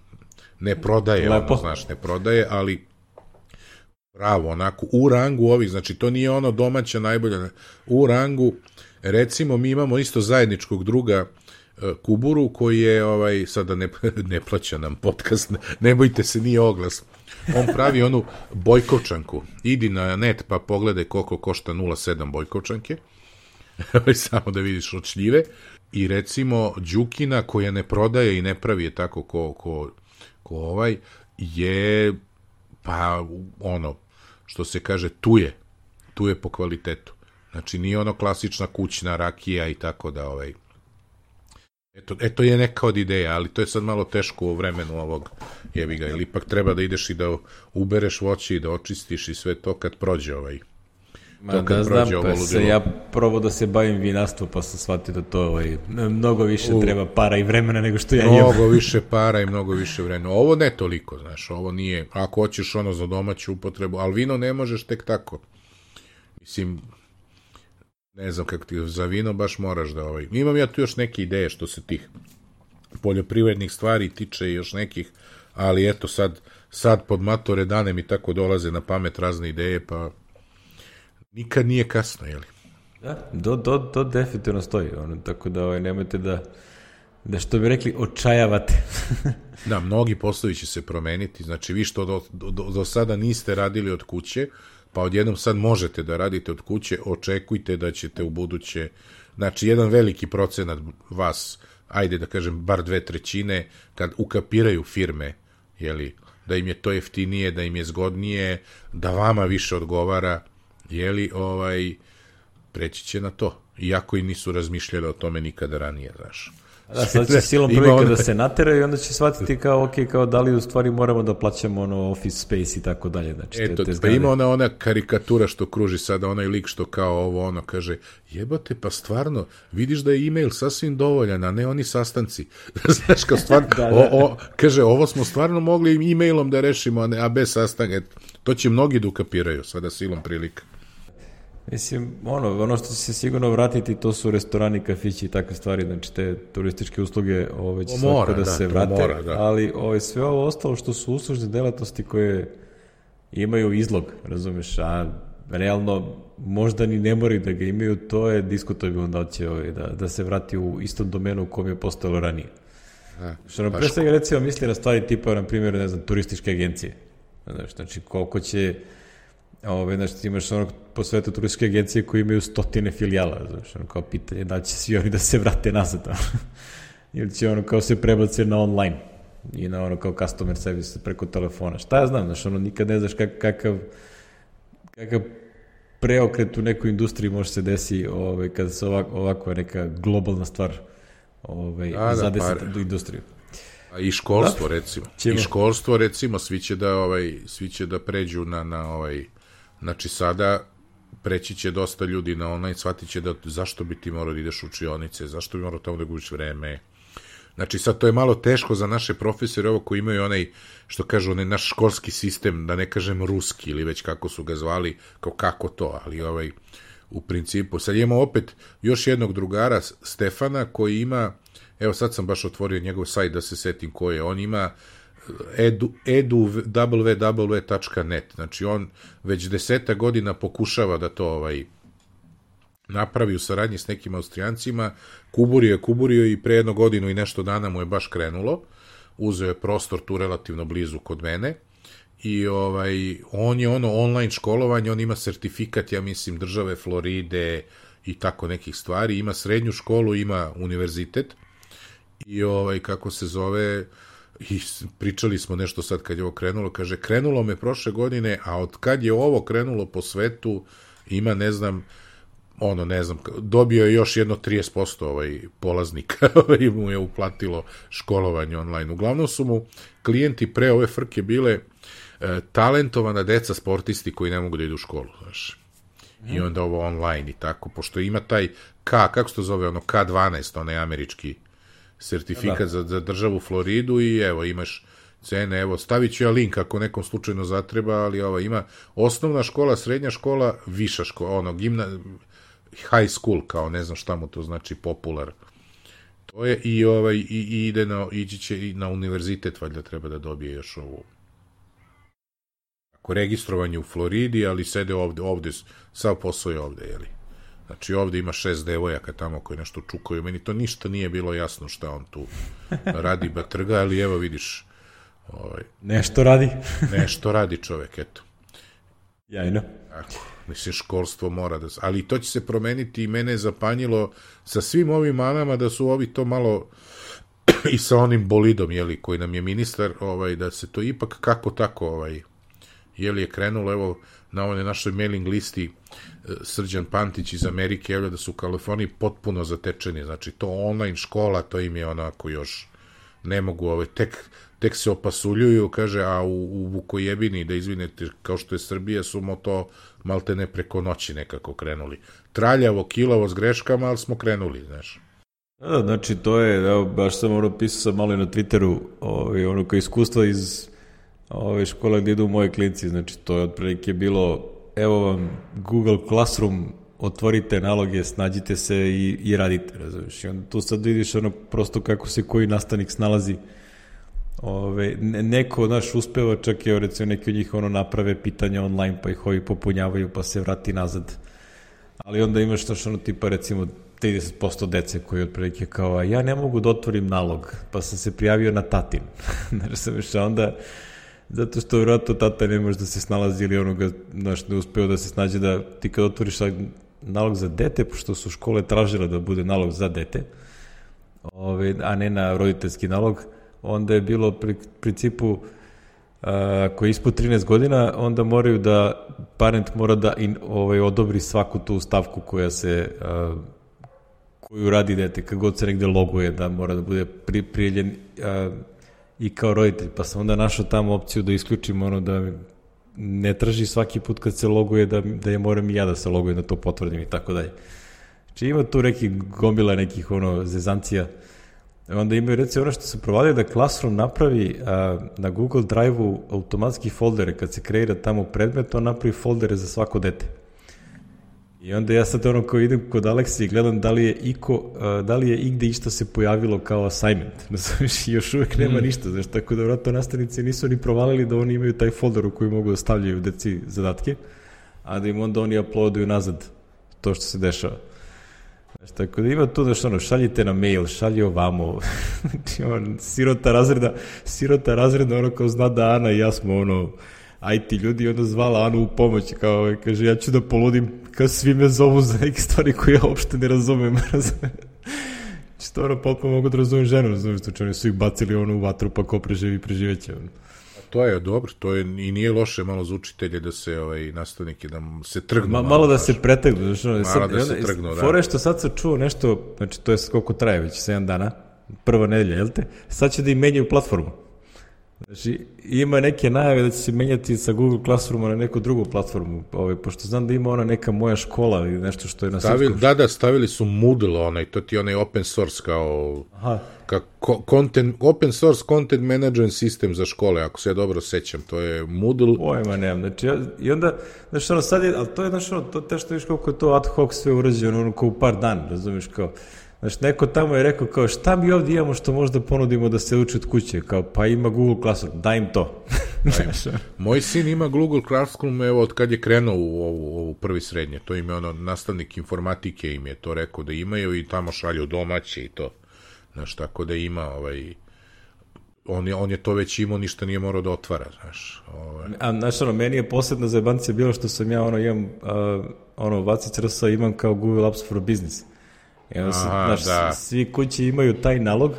Ne prodaje, ne prodaje, ali pravo, onako, u rangu ovih, znači to nije domaća najbolja, u rangu, recimo mi imamo isto zajedničkog druga Kuburu, koji je, sada ne plaća nam podcast, ne bojte se, nije oglas, on pravi onu bojkovčanku, idi na net pa pogledaj koliko košta 0,7 bojkovčanke, samo da vidiš od šljive, i recimo Đukina, koja ne prodaje i ne pravi je tako ko je, pa što se kaže, tu je po kvalitetu. Znači, nije klasična kućna rakija i tako da, eto je neka od ideja, ali to je sad malo teško u vremenu ovog jebiga, ili ipak treba da ideš i da ubereš voće i da očistiš i sve to kad prođe da znam, pa se ja probao da se bavim vinarstvom, pa sam shvatio da to mnogo više treba para i vremena nego što ja imam. Mnogo više para i mnogo više vremena. Ovo ne toliko, znaš, ovo nije, ako hoćeš za domaću upotrebu, ali vino ne možeš tek tako. Mislim, ne znam kako ti, za vino baš moraš da Imam ja tu još neke ideje što se tih poljoprivrednih stvari tiče i još nekih, ali eto sad pod matore dane mi tako dolaze na pamet razne ideje, pa nikad nije kasno, jeli? Da, to definitivno stoji, tako da nemojte da što bi rekli, očajavate. Da, mnogi poslovi će se promeniti, znači vi što do sada niste radili od kuće, pa odjednom sad možete da radite od kuće, očekujte da ćete u buduće, znači jedan veliki procenat vas, ajde da kažem bar 2/3, kad ukapiraju firme, jeli, da im je to jeftinije, da im je zgodnije, da vama više odgovara, jeli, preći će na to, iako i nisu razmišljali o tome nikada ranije, znaš. Da, sad će silom prilike da se nateraju i onda će shvatiti kao, ok, kao da li u stvari moramo da plaćamo office space i tako dalje. Znači, eto, pa ima ona karikatura što kruži sada, onaj lik što kao kaže, jebate, pa stvarno, vidiš da je e-mail sasvim dovoljan, a ne oni sastanci. Znaš, kao stvarno, kaže, ovo smo stvarno mogli e-mailom da rešimo, a bez sastanka. To će mnogi da ukapiraju sada silom prilika. Mislim, ono što će se sigurno vratiti, to su restorani, kafići i takve stvari, znači te turističke usluge će svako da se vrate, ali sve ovo ostalo što su uslužne delatnosti koje imaju izlog, razumeš, a realno možda ni ne moraju da ga imaju, to je diskutabilno da će da se vrati u istom domenu u kom je postojalo ranije. Što nam pre svega recimo misli na stvari tipa, na primjer, ne znam, turističke agencije. Znači, koliko će znači, imaš po svetu turističke agencije koji imaju 100 filijala, znači, kao pitanje da će svi oni da se vrate nazad, ili će kao se prebace na online i na kao customer service preko telefona. Šta ja znam, znači, nikad ne znaš kakav preokret u nekoj industriji može se desi kada se ovako neka globalna stvar zadesi do industriju. I školstvo, recimo. I školstvo, recimo, svi će da pređu na znači sada preći će dosta ljudi na online, shvatit će da zašto bi ti morao da ideš u učionice, zašto bi morao tamo da gubiš vreme. Znači sad to je malo teško za naše profesore, ovo koji imaju onaj, što kažu, onaj naš školski sistem, da ne kažem ruski ili već kako su ga zvali, kao kako to, ali u principu. Sad imamo opet još jednog drugara, Stefana, koji ima, evo sad sam baš otvorio njegov sajt da se setim ko je, on ima www.net, znači on već 10 godina pokušava da to napravi u saradnji s nekim Austrijancima, kuburio i pre 1 godinu i nešto dana mu je baš krenulo, uzeo je prostor tu relativno blizu kod mene i on je online školovanje, on ima sertifikat, ja mislim, države Floride i tako nekih stvari, ima srednju školu, ima univerzitet i kako se zove, i pričali smo nešto sad kad je ovo krenulo, kaže, krenulo me prošle godine, a od kad je ovo krenulo po svetu, ima, ne znam, dobio je još jedno 30% polaznika mu je uplatilo školovanje online. Uglavnom su mu klijenti pre ove frke bile talentovana deca sportisti koji ne mogu da idu u školu, znaš. I onda ovo online i tako, pošto ima taj kako se to zove, K12, onaj američki sertifikat za državu Floridu i evo, imaš cene, evo, stavit ću ja link ako nekom slučajno zatreba, ali ima osnovna škola, srednja škola, viša škola, high school, kao ne znam šta mu to znači, popular. To je i ići će i na univerzitet, valjda treba da dobije još ovu registrovanje u Floridi, ali sede ovde, sav posao je ovde, jeli. Znači, ovde ima 6 devojaka tamo koji nešto čukaju. Meni to ništa nije bilo jasno šta on tu radi, batrga, ali evo vidiš. Nešto radi. Nešto radi čovek, eto. Jajno. Tako, mislim, školstvo mora da... Ali to će se promeniti i mene je zapanjilo sa svim ovim manama da su ovi to malo i sa onim bolidom, jeli, koji nam je ministar, da se to ipak kako tako, jeli je krenulo, evo, na ovoj našoj mailing listi Srđan Pantić iz Amerike javlja da su u Kaliforniji potpuno zatečeni, znači to online škola, to im je onako još ne mogu, tek se opasuljuju, kaže, a u Vukojebini, da izvinete, kao što je Srbija, su to malte ne preko noći nekako krenuli. Traljavo, kilavo, s greškama, ali smo krenuli, znaš. Da, znači to je, evo, baš sam pisao sam malo i na Twitteru, kao iskustva iz škole gdje idu moje klinci, znači to je otprilike bilo, evo vam Google Classroom, otvorite naloge, snađite se i radite, razumiješ. I onda tu sad vidiš prosto kako se koji nastavnik snalazi neko, znaš, uspeva, čak je, recimo, neki od njih naprave pitanja online, pa ih ovi popunjavaju, pa se vrati nazad. Ali onda imaš, znaš, tipa, recimo, 30% dece koji otprilike kao, ja ne mogu da otvorim nalog, pa sam se prijavio na tatin. Znaš, onda, zato što vjerojatno tata ne može da se snalazi ili onoga, znaš, ne uspeo da se snađe da ti kad otvoriš nalog za dete, pošto su škole tražile da bude nalog za dete, a ne na roditeljski nalog, onda je bilo pri principu ako je ispod 13 godina, onda moraju da parent mora da odobri svaku tu stavku koja se koju radi dete, kad god se negde loguje, da mora da bude prijavljen i kao roditelj, pa sam onda našao tamo opciju da isključim da ne traži svaki put kad se loguje da je moram i ja da se logujem, da to potvrdim i tako dalje. Znači ima tu neki gomila nekih zezancija. Onda imaju, recimo, što se provalio da Classroom napravi na Google Drive-u automatski foldere, kad se kreira tamo predmet, on napravi foldere za svako dete. I onda ja sad kao idem kod Aleksi i gledam da li je igde išta se pojavilo kao assignment. I još uvek nema ništa, znaš, tako da vratno nastavnici nisu ni provalili da oni imaju taj folder u koji mogu da stavljaju deci zadatke, a da im onda oni uploaduju nazad to što se dešava. Znaš, tako da ima tu da šaljite na mail, šalji ovamo, sirota razreda, kao zna da Ana i ja smo IT ljudi, i onda zvala Anu u pomoć, kao, kaže, ja ću da poludim, kao svi me zovu za neke stvari koje ja uopšte ne razumem. Što potpuno mogu da razumem ženu, razumem, što oni su ih bacili u vatru, pa ko preživi, preživeće. To je dobro, to je i nije loše malo za učitelje da se nastavnike, da se trgnu. Malo da se pretegnu. Malo da se trgnu, da. Fore što sad sam čuo nešto, znači to je koliko traje već, 7 dana, prva nedelja, jel te? Sad će da im menjaju platformu. Znači, ima neke najave da će se menjati sa Google Classrooma na neku drugu platformu, pošto znam da ima neka moja škola ili nešto što je na srpskom. Da, stavili su Moodle, to ti open source kao open source content management system za škole, ako se ja dobro sećam, to je Moodle. Pojma nemam, znači, i onda, znači, sad je, ali to je, znači, to teško viš koliko je to ad hoc sve urađeno, kao u par dana, razumiješ, kao, znači, neko tamo je rekao kao, šta mi ovdje imamo što možda ponudimo da se uči od kuće, kao, pa ima Google Classroom, daj im to. Moj sin ima Google Classroom, evo, od kad je krenuo u ovu prvi srednje, to im je nastavnik informatike im je to rekao da imaju i tamo šalju domaće i to, znaš, tako da ima, on je to već imao, ništa nije morao da otvara, znaš. Znaš, meni je posebna zajebancija bilo što sam ja, imam, Vacić Rsa imam kao Google Apps for Business. Svi kući imaju taj nalog,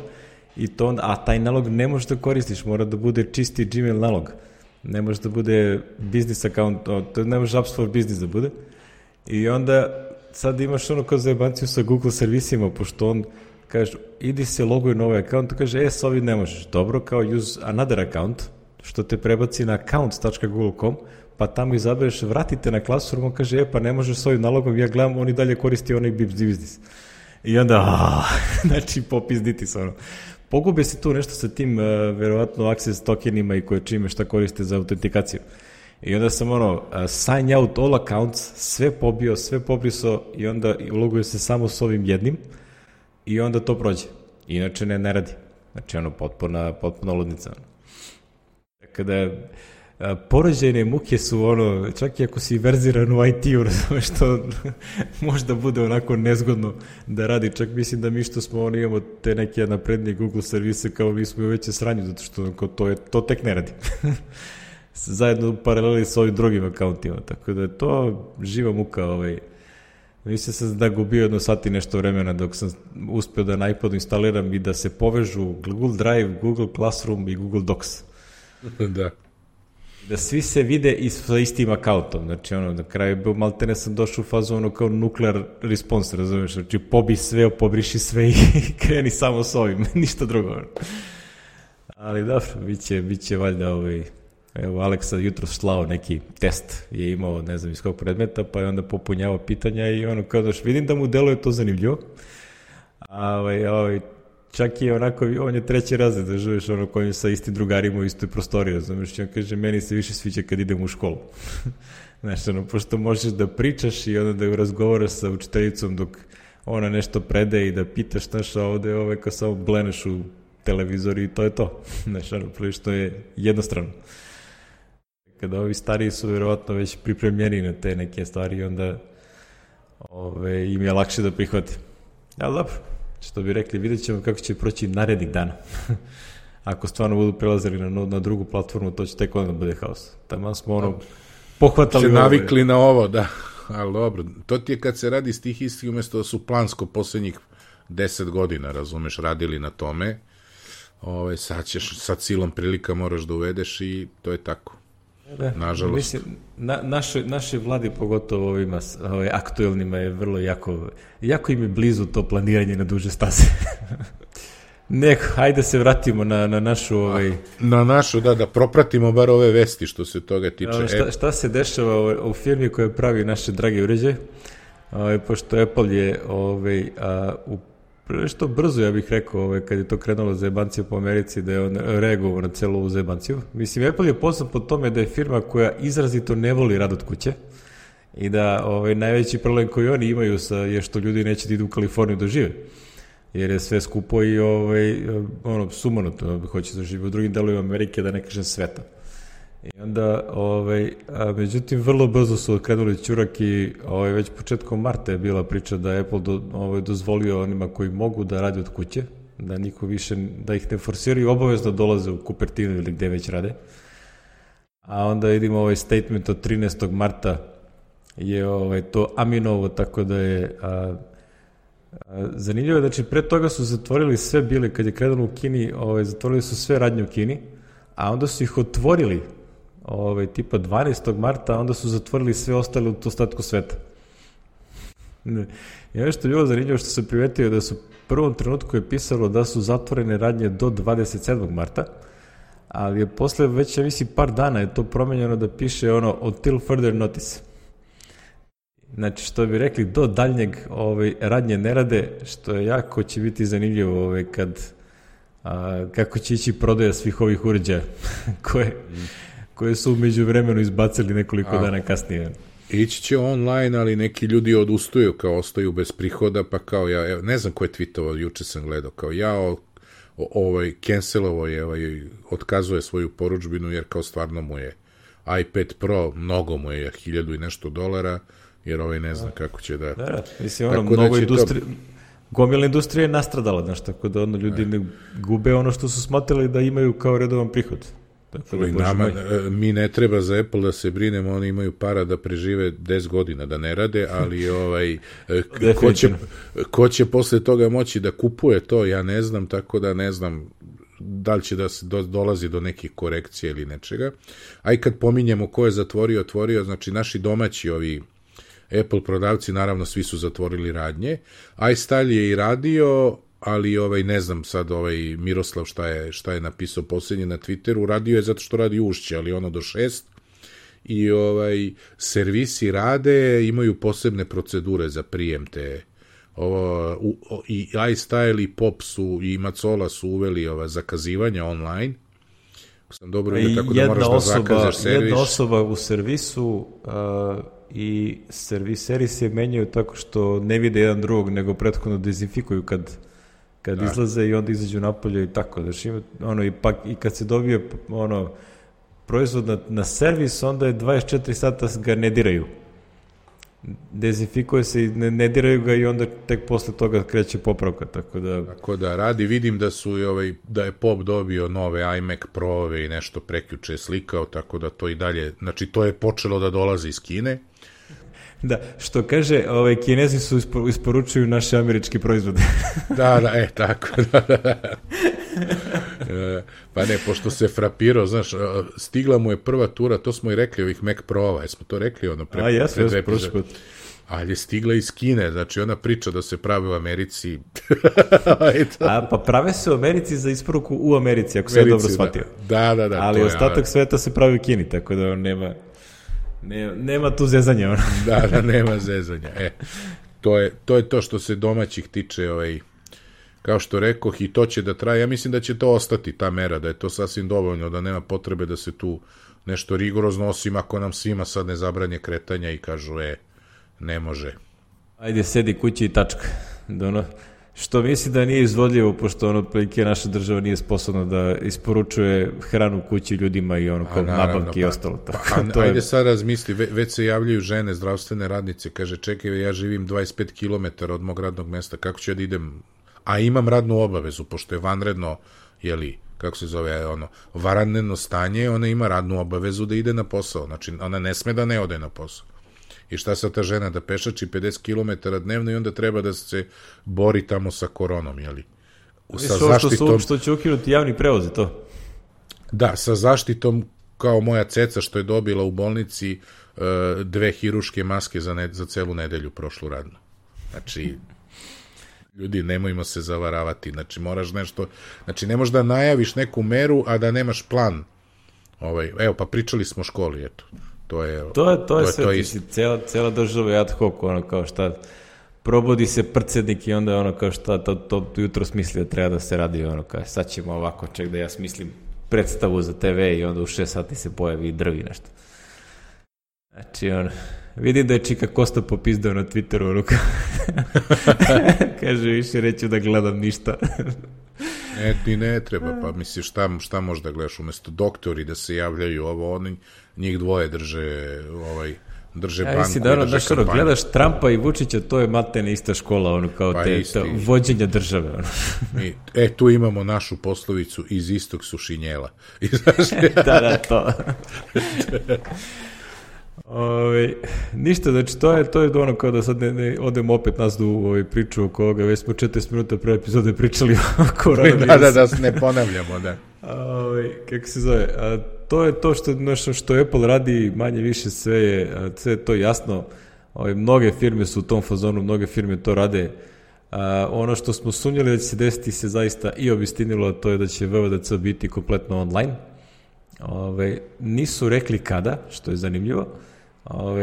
a taj nalog ne možeš da koristiš, mora da bude čisti Gmail nalog, ne može da bude business account, to ne može Apps for Business da bude. I onda sad imaš kao zajebanciju sa Google servisima, pošto on kaže, idi se loguj na ovaj account, kaže, s ovim ne možeš, dobro, kao use another account, što te prebaci na account.google.com, pa tamo izabereš, vratite na Classroom, on kaže, pa ne možeš s ovim nalogom, ja gledam, on i dalje koristi onaj business. I onda, znači, popizditi se, Pogube se tu nešto sa tim, verovatno, access tokenima i koje čime šta koriste za autentikaciju. I onda sam, sign out all accounts, sve pobio, sve pobrisao i onda loguje se samo s ovim jednim i onda to prođe. Inače ne radi. Znači, potpuna ludnica. Tako da, porođajne muke su čak i ako si verziran u IT-u, razumeš, što možda bude onako nezgodno da radi, čak mislim da mi što smo imamo te neke naprednije Google servise, kao mi smo u veće sranju, zato što to tek ne radi. Zajedno paraleli s ovim drugim akauntima, tako da je to živa muka. Mislim sam da gubio 1 sat i nešto vremena dok sam uspeo da na iPadu instaliram i da se povežu Google Drive, Google Classroom i Google Docs. Da svi se vide sa istim akauntom. Znači, na kraju je maltene sam došao u fazu kao nuclear response, razumiješ? Znači, pobi sve, pobriši sve i kreni samo s ovim, ništa drugo. Ali dobro, bit će valjda evo, Aleksa jutro slao neki test, je imao, ne znam iz kog predmeta, pa je onda popunjavao pitanja i kao da vidim da mu deluje to zanimljivo. Čak i onako, on je 3. razred, da živiš kojim sa istim drugarima u istoj prostoriji, razumiješ, on kaže, meni se više sviđa kad idem u školu. Znaš, pošto možeš da pričaš i onda da razgovaraš sa učiteljicom dok ona nešto predaje i da pitaš, znaš, a ovde kao samo bleneš u televizor i to je to. Znaš, prilično je jednostrano. Kada ovi stariji su vjerovatno već pripremljeni na te neke stvari, onda im je lakše da prihvati. Ali dobro, što bi rekli, vidjet ćemo kako će proći narednih dana. Ako stvarno budu prelazili na drugu platformu, to će tek onda bude haos. Tamo smo pohvatali... Se navikli na ovo, da. Ali dobro, to ti je kad se radi stihijski, umjesto da su plansko posljednjih 10 godina, razumeš, radili na tome, sad silom prilika moraš da uvedeš i to je tako. Da, nažalost. Mislim, naše vladi, pogotovo ovima aktuelnima, je vrlo jako im je blizu to planiranje na duže staze. Hajde se vratimo na našu... Na našu, da propratimo bar ove vesti što se toga tiče. Šta se dešava u firmi koja pravi naše drage uređaje? Pošto Apple je što brzo, ja bih rekao, kad je to krenulo zajebancija po Americi, da je on reagovao na celu ovu zajebanciju. Mislim, Apple je poznat po tome da je firma koja izrazito ne voli rad od kuće i da najveći problem koji oni imaju je što ljudi neće da idu u Kaliforniju da žive. Jer je sve skupo i sumanuto, hoće da živi u drugim delovima Amerike, da ne kažem sveta. I onda, međutim, vrlo brzo su krenuli ćurak i već početkom marta je bila priča da je Apple dozvolio onima koji mogu da rade od kuće, da niko više, da ih ne forsiraju, obavezno dolaze u Kupertinu ili gde već rade. A onda vidimo ovaj statement od 13. marta je to Aminovo, tako da je... zanimljivo je, znači pre toga su zatvorili sve bile, kad je krenulo u Kini, zatvorili su sve radnje u Kini, a onda su ih otvorili tipa 12. marta, a onda su zatvorili sve ostale u ostatku sveta. I ono što je bilo zanimljivo, što se primetio da su prvom trenutku je pisalo da su zatvorene radnje do 27. marta, ali je posle već, ja mislim, par dana je to promenjeno da piše until further notice. Znači, što bi rekli, do daljnjeg radnje ne rade, što je jako će biti zanimljivo kako će ići prodaja svih ovih uređaja koje su umeđu vremenu izbacili nekoliko dana kasnije. Ići će online, ali neki ljudi odustaju, kao ostaju bez prihoda, pa kao ja, ne znam ko je tweetovao, juče sam gledao, kao ja cancelovo je, otkazuje svoju poručbinu, jer kao stvarno mu je iPad Pro, mnogo mu je $1000 i nešto, jer ne zna kako će da... Da, mislim, mnogo industrije... Gomila industrija je nastradala, znaš, tako da ljudi ne gube ono što su smatrali da imaju kao redovan prihod. Mi ne treba za Apple da se brinemo, oni imaju para da prežive 10 godina, da ne rade, ali ko će posle toga moći da kupuje to, ja ne znam, tako da ne znam da li će da se dolazi do nekih korekcija ili nečega. A i kad pominjemo ko je otvorio, znači naši domaći Apple prodavci, naravno svi su zatvorili radnje. iStyle je i radio, ali ne znam sad Miroslav šta je napisao posljednje na Twitteru, radio je zato što radi ušće, ali do 6. I servisi rade, imaju posebne procedure za prijem te. I iStyle i Pop su i Macola su uveli zakazivanja online. Sam dobro vidio, tako da moraš da zakažeš servis. Jedna osoba u servisu i serviseri se menjaju tako što ne vide jedan drugog, nego prethodno dezinfikuju kad izlaze i onda izađu napolje i tako. Znači, i kad se dobije proizvod na servis, onda je 24 sata ga ne diraju. Dezinfikuje se i ne diraju ga i onda tek posle toga kreće popravka, tako da radi. Vidim da je Pop dobio nove iMac Pro-ove i nešto prekjuče slikao, tako da to i dalje, znači to je počelo da dolazi iz Kine. Da, što kaže, Kinezi su isporučuju naše američki proizvode. Da, tako, da. Pa ne, pošto se frapirao, znaš, stigla mu je prva tura, to smo i rekli ovih Mac Pro-ova, jesmo to rekli pre prošli put. Ali je stigla iz Kine, znači ona priča da se pravi u Americi. Pa prave se u Americi za isporuku u Americi, ako se dobro shvatio. Da. Ali ostatak sveta se pravi u Kini, tako da nema tu zezanja. Da, nema zezanja. To je to što se domaćih tiče, kao što rekoh, i to će da traje. Ja mislim da će to ostati, ta mera, da je to sasvim dovoljno, da nema potrebe da se tu nešto rigorozno, osim ako nam svima sad ne zabranje kretanja i kažu, ne može. Ajde, sedi kući i tačka. Što misli da nije izvodljivo, pošto ono otprilike naša država nije sposobna da isporučuje hranu kući ljudima i ono kao nabavke i ostalo. Ajde sad razmisli, već se javljaju žene, zdravstvene radnice, kaže čekaj, ja živim 25 km od mog radnog mesta, kako ću ja da idem, a imam radnu obavezu, pošto je vanredno, jeli, kako se zove, vanredno stanje, ona ima radnu obavezu da ide na posao, znači ona ne sme da ne ode na posao. I šta sa ta žena da pešači 50 km dnevno i onda treba da se bori tamo sa koronom, jeli? Sa zaštitom... Što će ukinuti javni prevoz, to? Da, sa zaštitom, kao moja ceca što je dobila u bolnici 2 hiruške maske za celu nedelju prošlu radnu. Znači, ljudi, nemojmo se zavaravati, znači moraš nešto, znači ne možeš da najaviš neku meru, a da nemaš plan. Evo, pa pričali smo o školi, eto. To je sve, cijela država je ad hoc, ono kao šta, probudi se prcednik i onda ono kao šta, to jutro smisli da treba da se radi, ono kao, sad ćemo ovako, ček da ja smislim predstavu za TV i onda u 6 sati se pojavi i drvi nešto. Znači, ono, vidim da je Čika Kosta popizdao na Twitteru, ono kao, kaže, više neću da gledam ništa. Ti ne treba, pa misliš šta možeš da gledaš, umesto doktori da se javljaju oni, njih dvoje drže banku. Mislim da gledaš Trumpa i Vučića, to je matene ista škola, ono kao pa vođenja države. Ono. Tu imamo našu poslovicu, iz istog su šinjela. Da, to. Ništa, znači to je ono kao da sad ne odemo opet nas u priču oko ovoga, već smo 40 minuta pre epizode pričali o koronavirusu. Da se ne ponavljamo, da. Kako se zove, to je to što Apple radi, manje više sve je to jasno, mnoge firme su u tom fazonu, mnoge firme to rade. Ono što smo sumnjali da će se desiti se zaista i obistinilo, to je da će VVDC biti kompletno online. Nisu rekli kada, što je zanimljivo.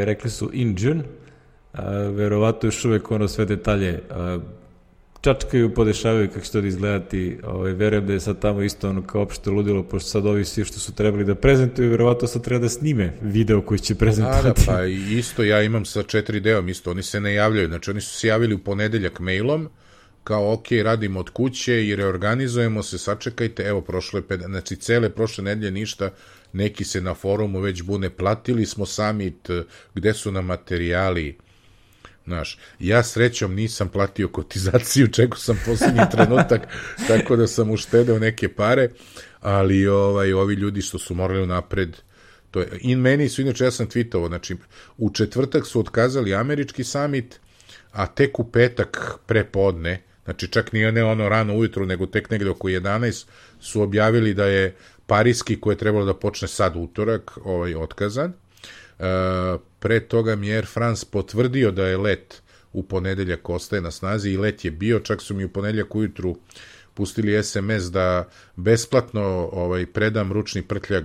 Rekli su in June, verovatno još uvek sve detalje čačkaju, podešavaju kako će to da izgledati. Verujem da je sad tamo isto ono kao opšte ludilo, pošto sad ovi svi što su trebali da prezentuju, verovatno sad treba da snime video koji će prezentovati. Pa isto, ja imam sa 4D-om isto, oni se ne javljaju, znači oni su se javili u ponedeljak mailom, kao ok, radimo od kuće i reorganizujemo se, sačekajte, evo znači cele prošle nedelje ništa, neki se na forumu već bune, platili smo summit, gde su nam materijali, znaš, ja srećom nisam platio kotizaciju, čekao sam posljednji trenutak, tako da sam uštedeo neke pare, ali ovi ljudi što su morali napred, to je, i meni su, inače ja sam tweetovao, znači u četvrtak su otkazali američki summit, a tek u petak prepodne, znači čak nije ne ono rano ujutru, nego tek negde oko 11 su objavili da je pariski, koji je trebalo da počne sad utorak, otkazan. Pre toga mi je Air France potvrdio da je let u ponedeljak ostaje na snazi i let je bio, čak su mi u ponedeljak ujutru pustili SMS da besplatno predam ručni prtljag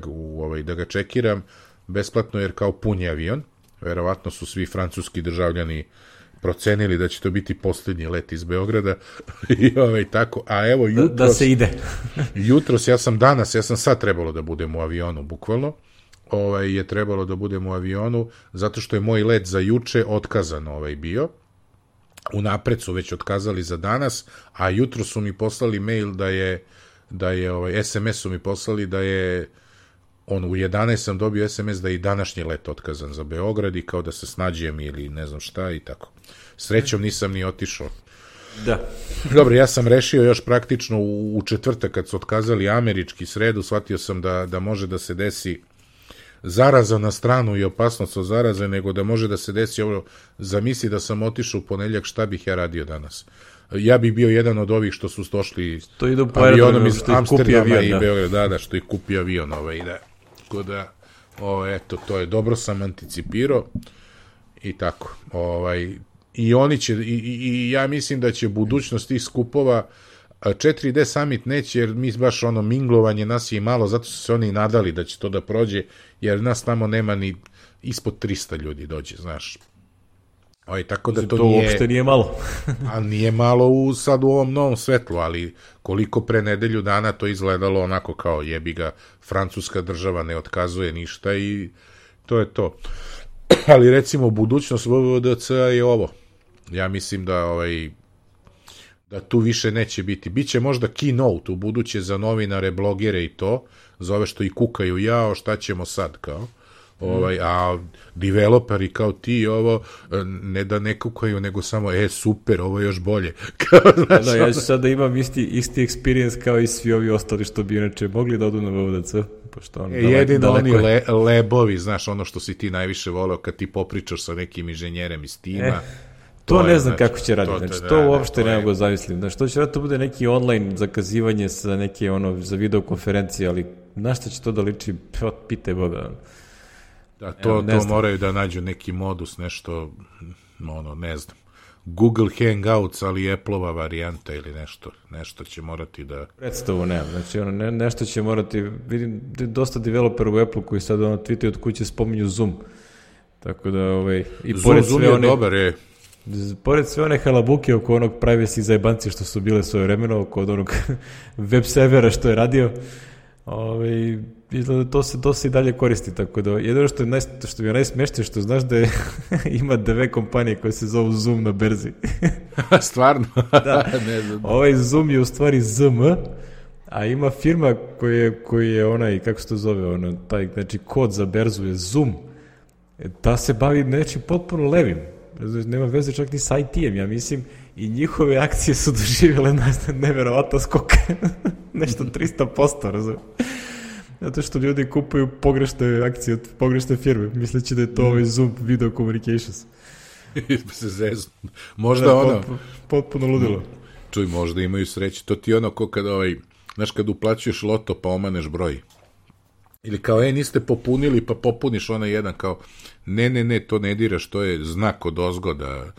da ga čekiram, besplatno jer kao pun je avion, verovatno su svi francuski državljani procenili da će to biti posljednji let iz Beograda i tako, a evo jutros... Da se ide. Jutros, ja sam sad trebalo da budem u avionu, bukvalno, je trebalo da budem u avionu, zato što je moj let za juče otkazan bio, unapred su već otkazali za danas, a jutro su mi poslali mail da je SMS su mi poslali da je u 11 sam dobio SMS da je i današnji let otkazan za Beograd i kao da se snađem ili ne znam šta i tako. Srećom nisam ni otišao. Da. Dobro, ja sam rešio još praktično u četvrtak kad su otkazali američki, sredu, shvatio sam da može da se desi zaraza na stranu i opasnost od zaraze, nego da može da se desi ovo, zamisli da sam otišao u ponedeljak, šta bih ja radio danas? Ja bih bio jedan od ovih što su došli avionom iz Amsterdama i Beograda, što ih kupi avion tako da, eto, to je dobro, sam anticipirao i tako, i oni će, i ja mislim da će budućnost tih skupova 4D summit neće, jer mi baš minglovanje nas je i malo, zato su se oni nadali da će to da prođe, jer nas tamo nema ni ispod 300 ljudi dođe, znaš. Tako da to uopšte nije malo. A nije malo sad u ovom novom svetlu, ali koliko pre nedelju dana to izgledalo onako kao jebi ga, francuska država ne otkazuje ništa i to je to. Ali recimo budućnost VVDC je ovo. Ja mislim da Da tu više neće biti. Biće možda keynote u buduće za novinare, blogere i to, za ove što i kukaju, jao, šta ćemo sad, kao. A developeri kao ti ovo ne da ne kukaju, nego samo super, ovo je još bolje. Znaš, da, ja ću sad da imam isti experience kao i svi ovi ostali što bi inače mogli da odu na VVDC. Jedino oni lebovi, znaš, ono što si ti najviše voleo kad ti popričaš sa nekim inženjerem iz tima. To ne znam kako će raditi, znači to uopšte ne mogu zamislim. Znači to će raditi, to bude neki online zakazivanje sa neke za videokonferencije, ali na šta će to da liči, pitaj Boga. Da, to moraju da nađu neki modus, nešto, ne znam, Google Hangouts, ali Apple-ova varijanta ili nešto će morati da... Predstavu nemam, znači nešto će morati, vidim dosta developera u Apple koji sad tweetaju od kuće spominju Zoom, tako da, i pored Zoom je dobar, pored sve one halabuke oko onog privacy zajebanci što su bile svoje vremeno, oko onog web servera što je radio, izgleda to se i dalje koristi, tako da jedino što mi je najsmešnije što znaš da ima 2 kompanije koje se zovu Zoom na berzi. Stvarno? Da, ne znam. Ovaj Zoom je u stvari ZM, a ima firma koji je onaj, kako se to zove, taj, znači kod za berzu je Zoom. Ta se bavi nečim potpuno levim. Nema veze čak ni sa IT-em, ja mislim, i njihove akcije su doživjele neverovatno skok. Nešto 300%, razumiješ? Zato što ljudi kupuju pogrešne akcije od pogrešne firme, misleći da je to ovaj Zoom Video Communications. Se zeznu. Možda potpuno ludilo. Čuj, možda imaju sreće. To ti ko kada znaš, kad uplaćuješ loto pa omaneš broj. Ili kao, niste popunili, pa popuniš onaj jedan, kao, ne, to ne diraš, to je znak od ozgoda.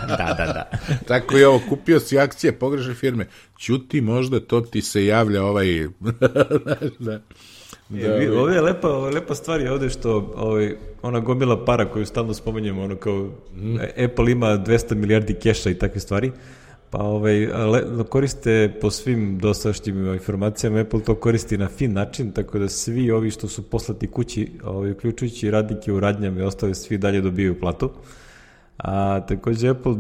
Da. Tako je ovo, kupio si akcije pogrešne firme, ćuti, možda to ti se javlja Ovdje je lepa stvar je ovdje što ona gomila para koju stalno spomenjemo, kao Apple ima 200 milijardi keša i takve stvari, pa koriste po svim dosadašnjim informacijama, Apple to koristi na fin način, tako da svi ovi što su poslati kući, uključujući radnike u radnjama i ostale, svi dalje dobijaju platu. A također Apple,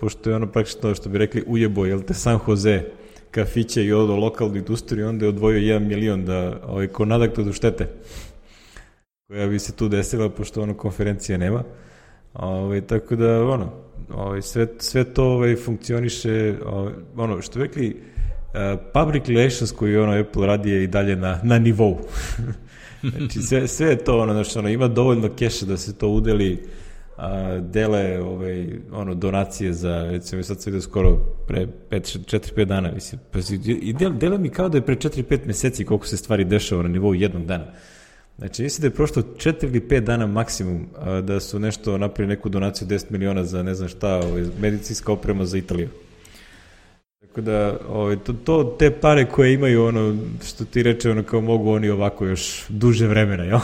pošto je praktično, što bi rekli, ujebo, San Jose kafiće i lokalnu industriju, onda je odvojio 1 milion da ko nadoknadu štete koja bi se tu desila, pošto konferencije nema. Tako da, sve to funkcioniše, što rekli, public relations koji Apple radi je i dalje na nivou. Znači, sve je to, ima dovoljno keša da se to udeli, dele donacije za, recimo, sad se ide skoro pre 4-5 dana, mislim, i dele mi kao da je pre 4-5 meseci koliko se stvari dešava na nivou jednog dana. Znači, mislim da je prošlo 4 ili 5 dana maksimum da su nešto napravili neku donaciju 10 miliona za ne znam šta, medicinska oprema za Italiju. Tako da, te pare koje imaju, što ti reče, kao mogu oni ovako još duže vremena, jel?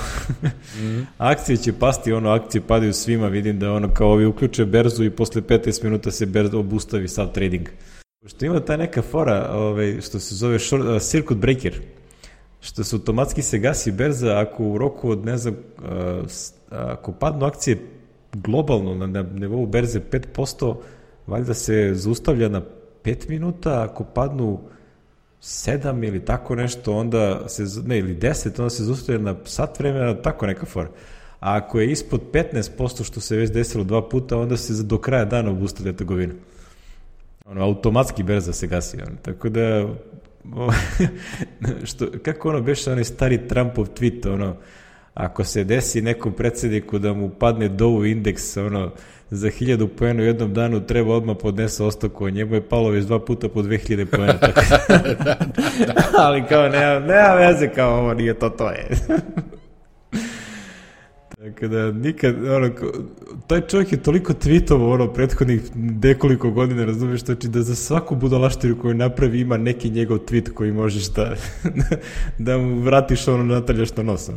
Akcije će pasti, akcije padaju svima, vidim da kao ovi uključe berzu i posle 15 minuta se berza obustavi sav trading. Što ima ta neka fora, što se zove circuit breaker, što se automatski se gasi berza ako u roku od, ne znam, ako padnu akcije globalno na nivou berze 5%, valjda se zaustavlja na 5 minuta, ako padnu 7 ili tako nešto, onda ili 10, onda se zaustavlja na sat vremena, tako neka fora. A ako je ispod 15%, što se već desilo 2 puta, onda se do kraja dana obustavlja trgovina. Automatski berza se gasi. Tako da, kako beše onaj stari Trumpov tweet, ako se desi nekom predsjedniku da mu padne Dow indeks, za 1000 poena u jednom danu, treba odmah podnese ostavku, a njemu je palo već 2 puta po 2000 poena. Ali kao, nema veze, kao ovo nije to je. Tako da, nikad, taj čovjek je toliko tweetova, prethodnih nekoliko godina, razumiješ, znači da za svaku budalaštinu koju napravi ima neki njegov tweet koji možeš da mu vratiš nataljaš na nos.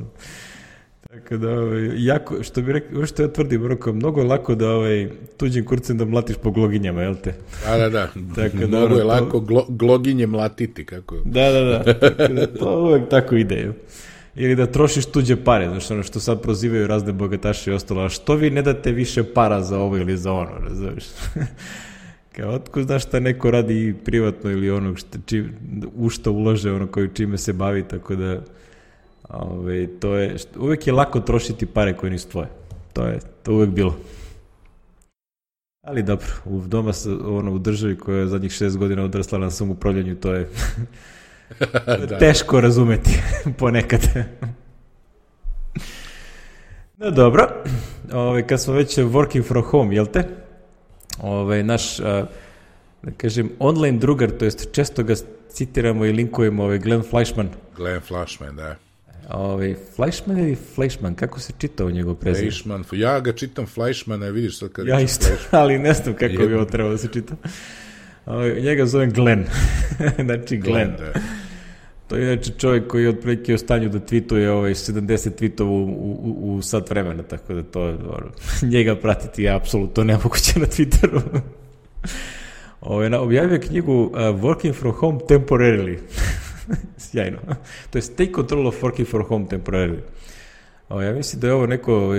Tako da, jako, što bi rekao, što ja tvrdim, mnogo je lako da tuđim kurcem da mlatiš po gloginjama, jel te? Da. Tako da, mnogo je lako gloginje mlatiti, kako? Da. Tako da, to uvek tako ide. Ili da trošiš tuđe pare, znači što sad prozivaju razne bogataše i ostalo, a što vi ne date više para za ovo ili za ono, razumiješ? Kao, otko znaš šta neko radi privatno ili ono u što ulaže, ono koji čime se bavi, tako da to je, uvek je lako trošiti pare koje nisu tvoje. To je uvek bilo. Ali dobro, u državi koja je zadnjih 6 godina odrasla na samoupravljanju, to je teško razumeti ponekad. No dobro, kad smo već working from home, jel te? Naš, da kažem, online drugar, to jest često ga citiramo i linkujemo, Glenn Fleischman. Glenn Fleischman, da. Fleischman ili Fleischman, kako se čita u njegov prezir? Fleischman, ja ga čitam Fleischmana, vidiš sad kad ja isto, ali ne znam kako bi ovo trebalo da se čita. Njega zovem Glenn, znači Glenn. Da. To je inače čovjek koji je otprilike u stanju da tweetuje 70 tweetova u sat vremena, tako da to njega pratiti je apsolutno nemoguće na Twitteru. Objavio knjigu Working from Home Temporarily. Sjajno. To je Take Control of Working from Home Temporarily. Ja mislim da je ovo neko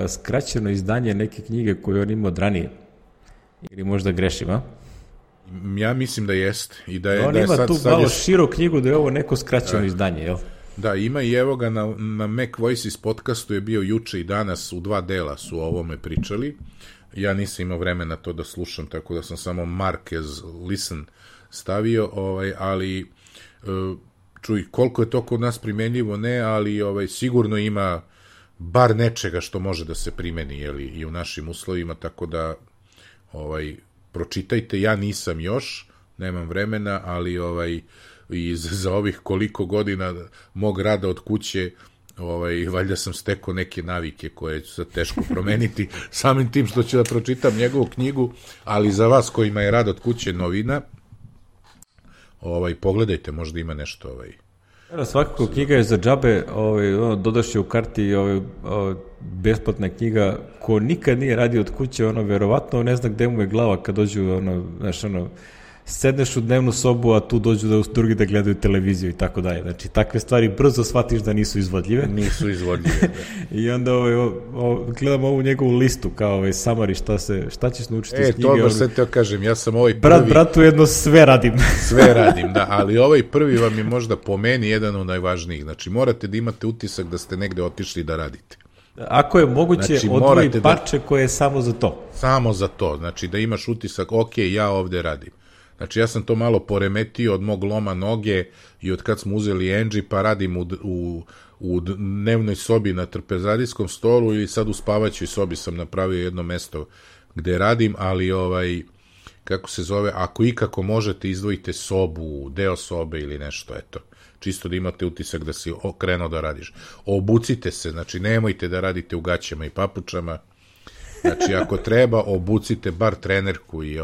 skraćeno izdanje neke knjige koju on imao od ranije. Ili možda grešim, a? Ja mislim da jest. I da je, on ima tu malo širu knjigu da je ovo neko skraćeno izdanje, jel? Da, ima i evo ga na Mac Voices podcastu je bio juče i danas, u 2 dela su o ovome pričali. Ja nisam imao vremena to da slušam, tako da sam samo mark as listen stavio, ali čuj, koliko je to kod nas primenljivo, ne, ali sigurno ima bar nečega što može da se primeni, jeli, i u našim uslovima, tako da pročitajte, ja nisam još, nemam vremena, ali i za ovih koliko godina mog rada od kuće, valjda sam stekao neke navike koje ću sad teško promeniti samim tim što ću da pročitam njegovu knjigu, ali za vas kojima je rad od kuće novina, pogledajte, možda ima nešto svakako knjiga je za džabe, dodaš je u karti besplatna knjiga, ko nikad nije radio od kuće, verovatno ne zna gde mu je glava kad dođu, sedneš u dnevnu sobu, a tu dođu drugi da gledaju televiziju i tako dalje. Znači, takve stvari brzo shvatiš da nisu izvodljive. Nisu izvodljive, da. I onda gledam ovu njegovu listu, kao summary, šta ćeš naučiti iz knjige. To baš sad te kažem, ja sam prvi... Bratu jedno sve radim. Sve radim, da, ali prvi vam je možda po meni jedan od najvažnijih. Znači, morate da imate utisak da ste negde otišli da radite. Ako je moguće, odvoji parče koje je samo za to. Samo za to, znači da imaš utisak, ok, ja ovde radim. Znači, ja sam to malo poremetio od mog loma noge i od kad smo uzeli Engie, pa radim u dnevnoj sobi na trpezadijskom stolu i sad u spavaćoj sobi sam napravio jedno mesto gde radim, ali kako se zove, ako ikako možete, izdvojite sobu, deo sobe ili nešto, eto. Čisto da imate utisak da si krenuo da radiš. Obucite se, znači nemojte da radite u gaćama i papučama. Znači, ako treba, obucite bar trenerku i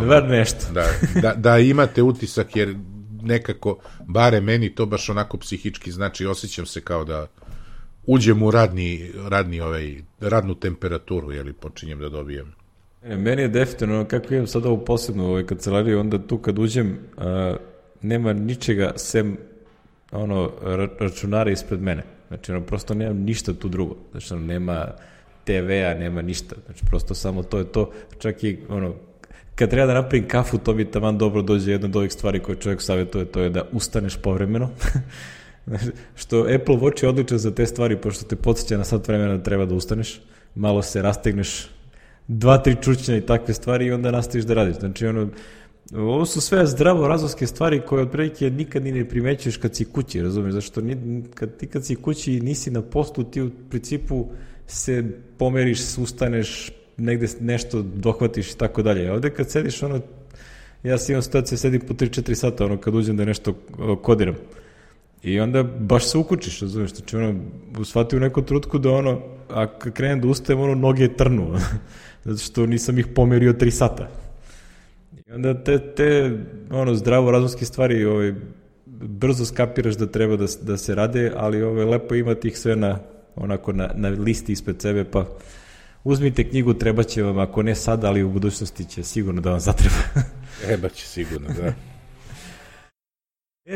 bar nešto. Da imate utisak, jer nekako, bare meni to baš onako psihički znači, osjećam se kao da uđem u radnu temperaturu, jeli počinjem da dobijem. Meni je definitivno, kako imam sad ovu posebnu kancelariju, onda tu kad uđem, nema ničega sem računara ispred mene. Znači, prosto nemam ništa tu drugo. Znači, nema TV-a, nema ništa. Znači, prosto samo to je to. Čak i, kad treba da napravim kafu, to mi taman dobro dođe jedna od ovih stvari koje čovjek savjetuje, to je da ustaneš povremeno. Što Apple Watch je odličan za te stvari, pošto te podsjeća na sat vremena da treba da ustaneš, malo se rastegneš, 2-3 čučnja i takve stvari i onda nastaviš da radiš. Znači, ovo su sve zdravo razumske stvari koje otprilike nikad ni ne primećuješ kad si kući, razumiješ? Zašto kad si kući i nisi na poslu, ti u principu se pomeriš, ustaneš, negde nešto dohvatiš i tako dalje. Ovde kad sediš, ja si imam situaciju, sedim po 3-4 sata, kad uđem da nešto kodiram. I onda baš se ukučiš, razumiješ? Znači, shvati u neku trutku da a kad krenem da ustajem, noge trnu. Zato što nisam ih pomerio 3 sata. I onda te zdravo razumske stvari brzo skapiraš da treba da se rade, ali lepo imati ih sve na listi ispred sebe, pa uzmite knjigu, treba će vam, ako ne sad, ali u budućnosti će sigurno da vam zatreba. Treba će sigurno, da.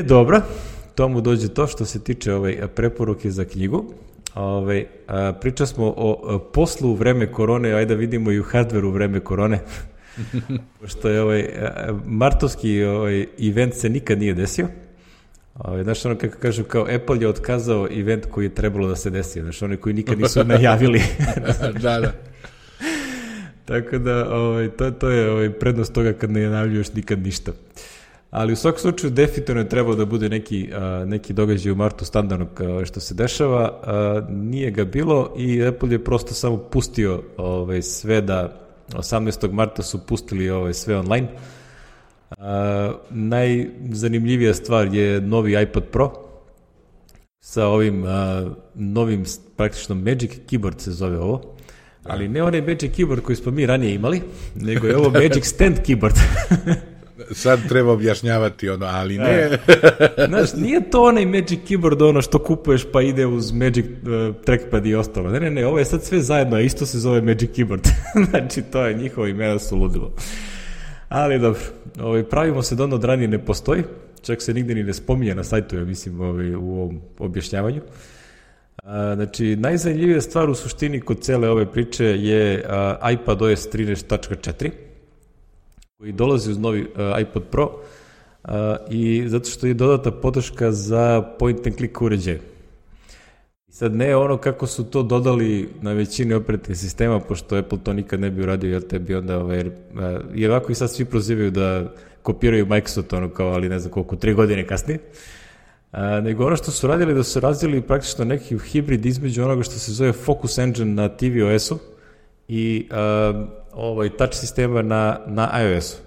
Dobro, tomu dođe to što se tiče preporuke za knjigu. Pričali smo o poslu u vreme korone, ajde da vidimo i u hardveru u vreme korone. Pošto je martovski event se nikad nije desio. Znaš, ono kako kažu, kao Apple je otkazao event koji je trebalo da se desi. Znaš, oni koji nikad nisu najavili. Da. Tako da, to je prednost toga kad ne najavljuješ nikad ništa. Ali u svakom slučaju definitivno je trebao da bude neki događaj u martu standardno što se dešava. Nije ga bilo i Apple je prosto samo pustio sve da 18. marta su pustili sve online. Najzanimljivija stvar je novi iPad Pro sa ovim novim praktično Magic Keyboard se zove ovo. Ali ne onaj Magic Keyboard koji smo mi ranije imali, nego je ovo Magic Stand Keyboard. Sad treba objašnjavati ali ne. Znaš, nije to onaj Magic Keyboard ono što kupuješ pa ide uz Magic Trackpad i ostalo. Ne, ovo je sad sve zajedno, a isto se zove Magic Keyboard. Znači, to je njihovo imena su ludilo. Ali dobro, pravimo se da ono od ranije ne postoji, čak se nigde ni ne spominje na sajtu, ja mislim, u ovom objašnjavanju. Znači, najzanimljivija stvar u suštini kod cele ove priče je iPadOS 13.4, koji dolazi uz novi iPad Pro i zato što je dodata podrška za point and click uređaje. I sad ne ono kako su to dodali na većini operativnih sistema, pošto Apple to nikad ne bi uradio, jer te bi onda, i ovako i sad svi prozivaju da kopiraju Microsoft, ono kao, ali ne znam koliko, 3 godine kasnije. Nego ono što su radili, da su razvili praktično neki hibrid između onoga što se zove Focus Engine na tvOS-u i touch sistema na iOS-u.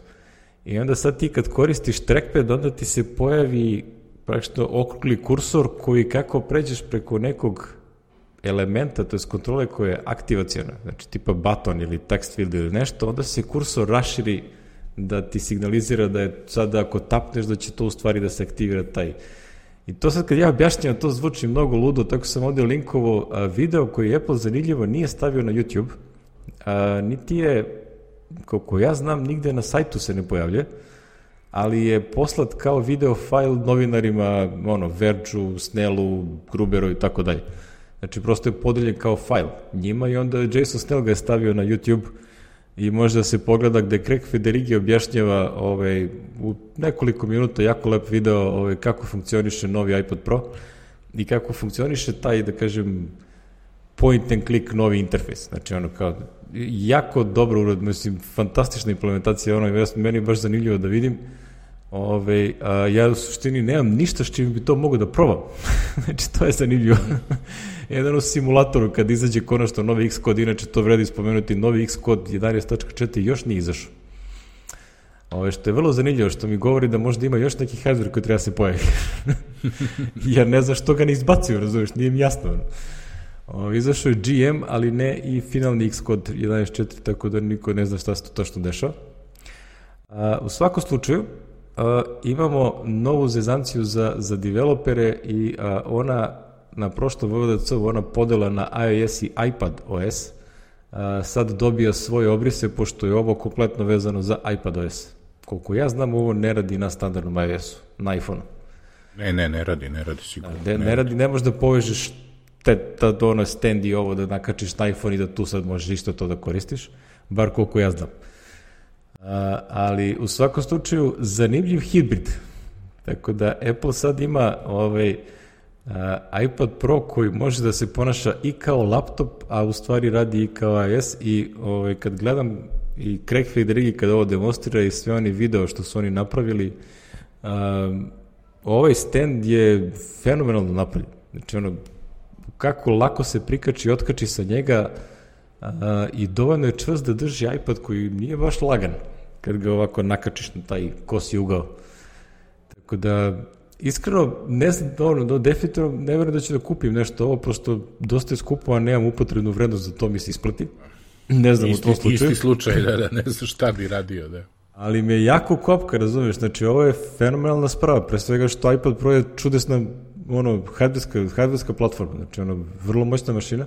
I onda sad ti kad koristiš trackpad, onda ti se pojavi praktično okrugli kursor koji kako pređeš preko nekog elementa, to je kontrole koja je aktivacijona, znači tipa button ili text field ili nešto, onda se kursor raširi da ti signalizira da je sad ako tapneš da će to u stvari da se aktivira taj. I to sad kad ja objašnjam, to zvuči mnogo ludo, tako sam ovdje linkovo video koji Apple zanimljivo nije stavio na YouTube, niti je, koliko ja znam, nigde na sajtu se ne pojavlja, ali je poslat kao video file novinarima, Vergeu, Snellu, Gruberu i tako dalje. Znači, prosto je podeljen kao file njima i onda Jason Snell ga je stavio na YouTube i može da se pogleda gde Craig Federighi objašnjava u nekoliko minuta jako lep video kako funkcioniše novi iPad Pro i kako funkcioniše taj, da kažem, point and click novi interfejs. Znači, kao jako dobro urad, mislim, fantastična implementacija, meni je baš zanimljivo da vidim. Ja u suštini nemam ništa s čim bi to mogo da probam. Znači, to je zanimljivo. Jedan u simulatoru kad izađe konačno novi Xcode, inače to vredi spomenuti, novi Xcode 11.4 još nije izašao. Što je vrlo zanimljivo, što mi govori da možda ima još neki hardware koji treba se pojaviti. Jer ne znam što ga ne izbacuju, razumiješ, nije mi jasno. Izašao je GM, ali ne i finalni Xcode 11.4, tako da niko ne zna šta se to tačno dešava. U svakom slučaju, imamo novu zezanciju za developere i ona na prošlom VVDC-u, ona podela na iOS i iPadOS, sad dobija svoje obrise, pošto je ovo kompletno vezano za iPadOS. Koliko ja znam, ovo ne radi na standardnom iOS-u, na iPhone-u. Ne radi sigurno. Ne radi, ne možeš da povežeš stand i ovo da nakačiš na iPhone i da tu sad možeš isto to da koristiš, bar koliko ja znam. Ali u svakom slučaju zanimljiv hibrid. Tako da Apple sad ima iPad Pro koji može da se ponaša i kao laptop, a u stvari radi i kao iOS i kad gledam i Craig Federighi kada ovo demonstrira i sve oni video što su oni napravili, ovaj stand je fenomenalno napravljen. Znači kako lako se prikači i otkači sa njega i dovoljno je čvrst da drži iPad koji nije baš lagan kad ga ovako nakačiš na taj kosi ugao. Tako da, iskreno, ne znam, definitivno ne verujem da ću da kupim nešto, ovo prosto dosta je skupo, a nemam upotrebnu vrednost za to mi se isplati. Ne znam u tom slučaju. Isti slučaj, ne znam šta bi radio, da. Ali me jako kopka, razumiješ, znači ovo je fenomenalna sprava, pre svega što iPad Pro je čudesna hardverska platforma, znači vrlo moćna mašina.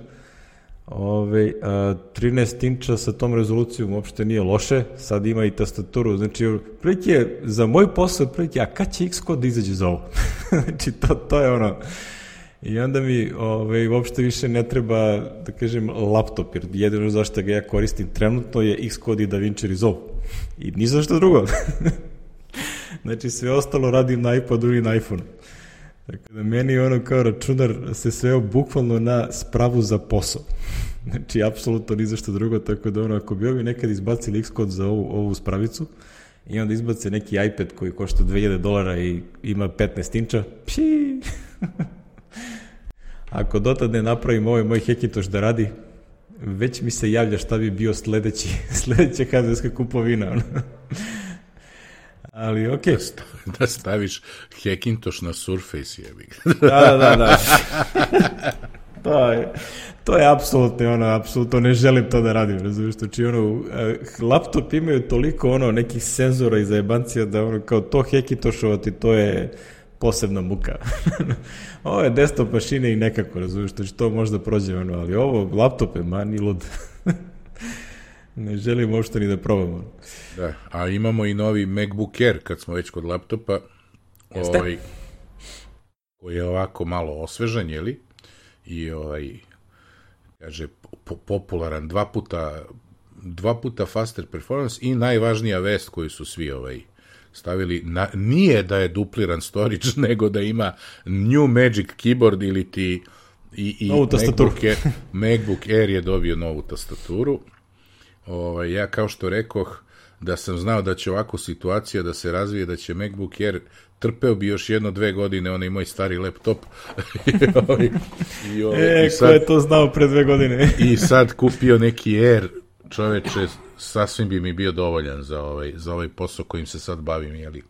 13 inča sa tom rezolucijom uopšte nije loše, sad ima i tastaturu, znači prilike za moj posao, a kad će Xcode da izađe za ovo? Znači to je I onda mi uopšte više ne treba, da kažem, laptop, jer jedino zašto ga ja koristim trenutno je Xcode i DaVinci Resolve. I ni zašto drugo. Znači, sve ostalo radim na iPadu ili na iPhone. Tako da meni kao računar se sveo bukvalno na spravu za posao. Znači, apsolutno ni zašto drugo, tako da ako bi ovi nekad izbacili Xcode za ovu spravicu i onda izbace neki iPad koji košta $2000 i ima 15 inča, pši! Ako dotad ne napravim ovaj moj Hackintosh da radi, već mi se javlja šta bi bio sledeća hardverska kupovina. Ali okej. Da staviš Hackintosh na Surface, jebi. Da. To je apsolutno ne želim to da radim, razumiješ, znači laptop imaju toliko nekih senzora i zajebancija da kao to Hackintoshovati, to je posebna muka. Ovo je desktop mašine i nekako, razumiješ, znači to možda prođe, ali ovo laptop je mani lud. Ne želim uopšte ni da probam. Da, a imamo i novi MacBook Air, kad smo već kod laptopa, koji je ovako malo osvežan, jeli? I kaže, popularan, dva puta faster performance i najvažnija vest koju su svi stavili, nije da je dupliran storage, nego da ima New Magic Keyboard ili ti i MacBook Air je dobio novu tastaturu. Ja kao što rekoh, da sam znao da će ovako situacija da se razvije, da će MacBook Air, trpeo bi još 1-2 godine onaj moj stari laptop. Ko je to znao pre 2 godine? I sad kupio neki Air, čoveče, sasvim bi mi bio dovoljan za ovaj posao kojim se sad bavim, jeli?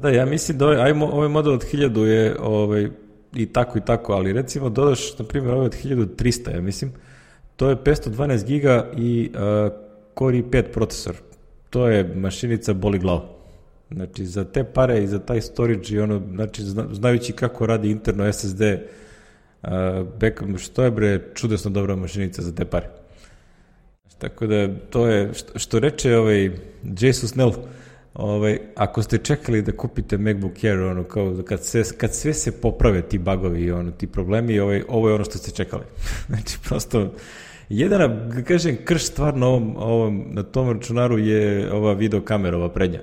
Da, ja mislim da ovaj model od 1000 je i tako, ali recimo dodaš, na primjer, ovaj od 1300, ja mislim, to je 512 giga i Core i5 procesor. To je mašinica boli glava. Znači, za te pare i za taj storage i znači, znajući kako radi interno SSD, backup, što je čudesno dobra mašinica za te pare. Tako da, to je, što reče Jason Snell, ako ste čekali da kupite MacBook Air, kao kad sve se poprave ti bugovi i ti problemi, ovo je ono što ste čekali. Znači, prosto, jedina, kažem, krš stvar na tom računaru je ova video kamera, ova prednja.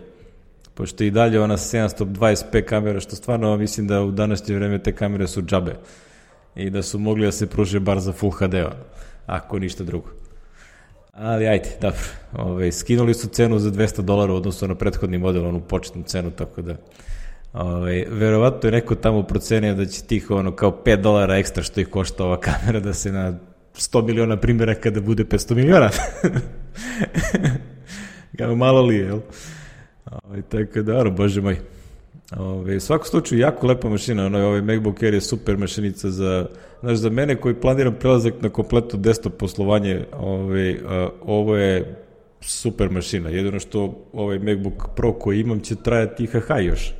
Pošto i dalje ona 720p kamera, što stvarno mislim da u današnje vreme te kamere su džabe i da su mogli da se pruže bar za Full HD-a, ako ništa drugo. Ali ajde, dobro, skinuli su cenu za $200 odnosno na prethodni model, onu početnu cenu, tako da verovatno je neko tamo procenio da će tih kao $5 ekstra što ih košta ova kamera da se na 100 miliona primjera kada bude 500 miliona. Malo li je, jel? Tako da, bože moj. U svakom slučaju, jako lepa mašina, ovaj MacBook Air je super mašinica za mene koji planiram prelazak na kompletno desktop poslovanje, ovo je super mašina, jedino što ovaj MacBook Pro koji imam će trajati IHH još.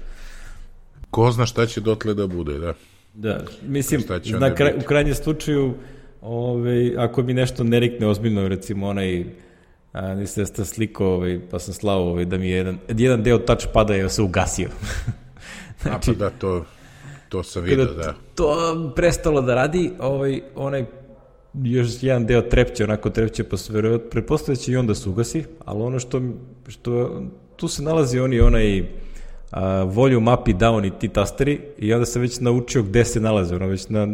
Ko zna šta će dotle da bude, da. Da, mislim, u krajnjem slučaju, ako mi nešto ne rikne ozbiljno, recimo nisam da sliko, pa sam slao da mi je jedan deo touchpada je se ugasio. Znači, da, to sam vidio, da. To prestalo da radi, onaj još jedan deo trepće pa se pretpostavlja će i onda se ugasi, ali ono što tu se nalazi onaj volume up i down i ti tasteri i onda sam već naučio gde se nalaze, već na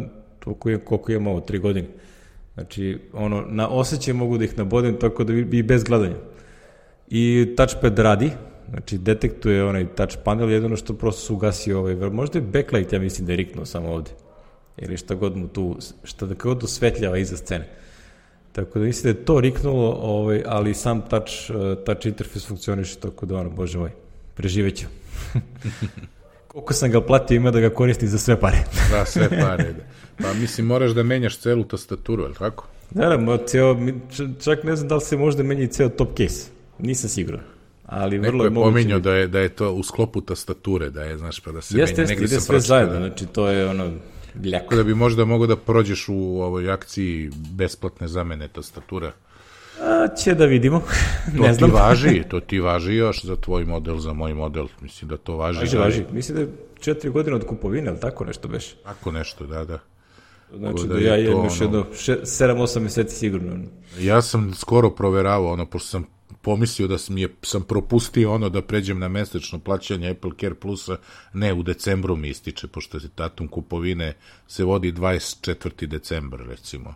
koliko imam ovo, 3 godine. Znači, na osjećaj mogu da ih nabodem tako da bi bez gledanja. I touchpad radi, znači detektuje onaj touch panel, jedino što prosto se ugasio možda je backlight, ja mislim da je riknuo samo ovde. Ili šta god mu tu, šta da god osvetljava iza scene. Tako da mislim da je to riknulo, ali sam touch interfejs funkcioniše, tako da bože moj, preživeću. Koliko sam ga platio, ima da ga koristim za sve pare. Da, sve pare, da. Pa mislim, moraš da menjaš celu tastaturu, je li tako? Da, čak ne znam da li se možda menja i ceo top case. Nisam siguran. Ali neko je pominjao da je to u sklopu tastature, da je, znaš, pa da se menja. Jeste, ide sve zajedno, znači to je ljako. Da bi možda mogao da prođeš u ovoj akciji besplatne zamene tastatura. Će da vidimo. Ne znam. To ti važi još za tvoj model, za moj model. Mislim da to važi. Važi. Mislim da 4 godine od kupovine, ali tako nešto beš? Tako nešto, da. Znači da ja imam još jedno 7-8 meseci sigurno. Ja sam skoro proveravao, pošto sam pomislio da sam propustio da pređem na mesečno plaćanje Apple Care Plusa, ne, u decembru mi ističe, pošto se datum kupovine se vodi 24. decembar, recimo,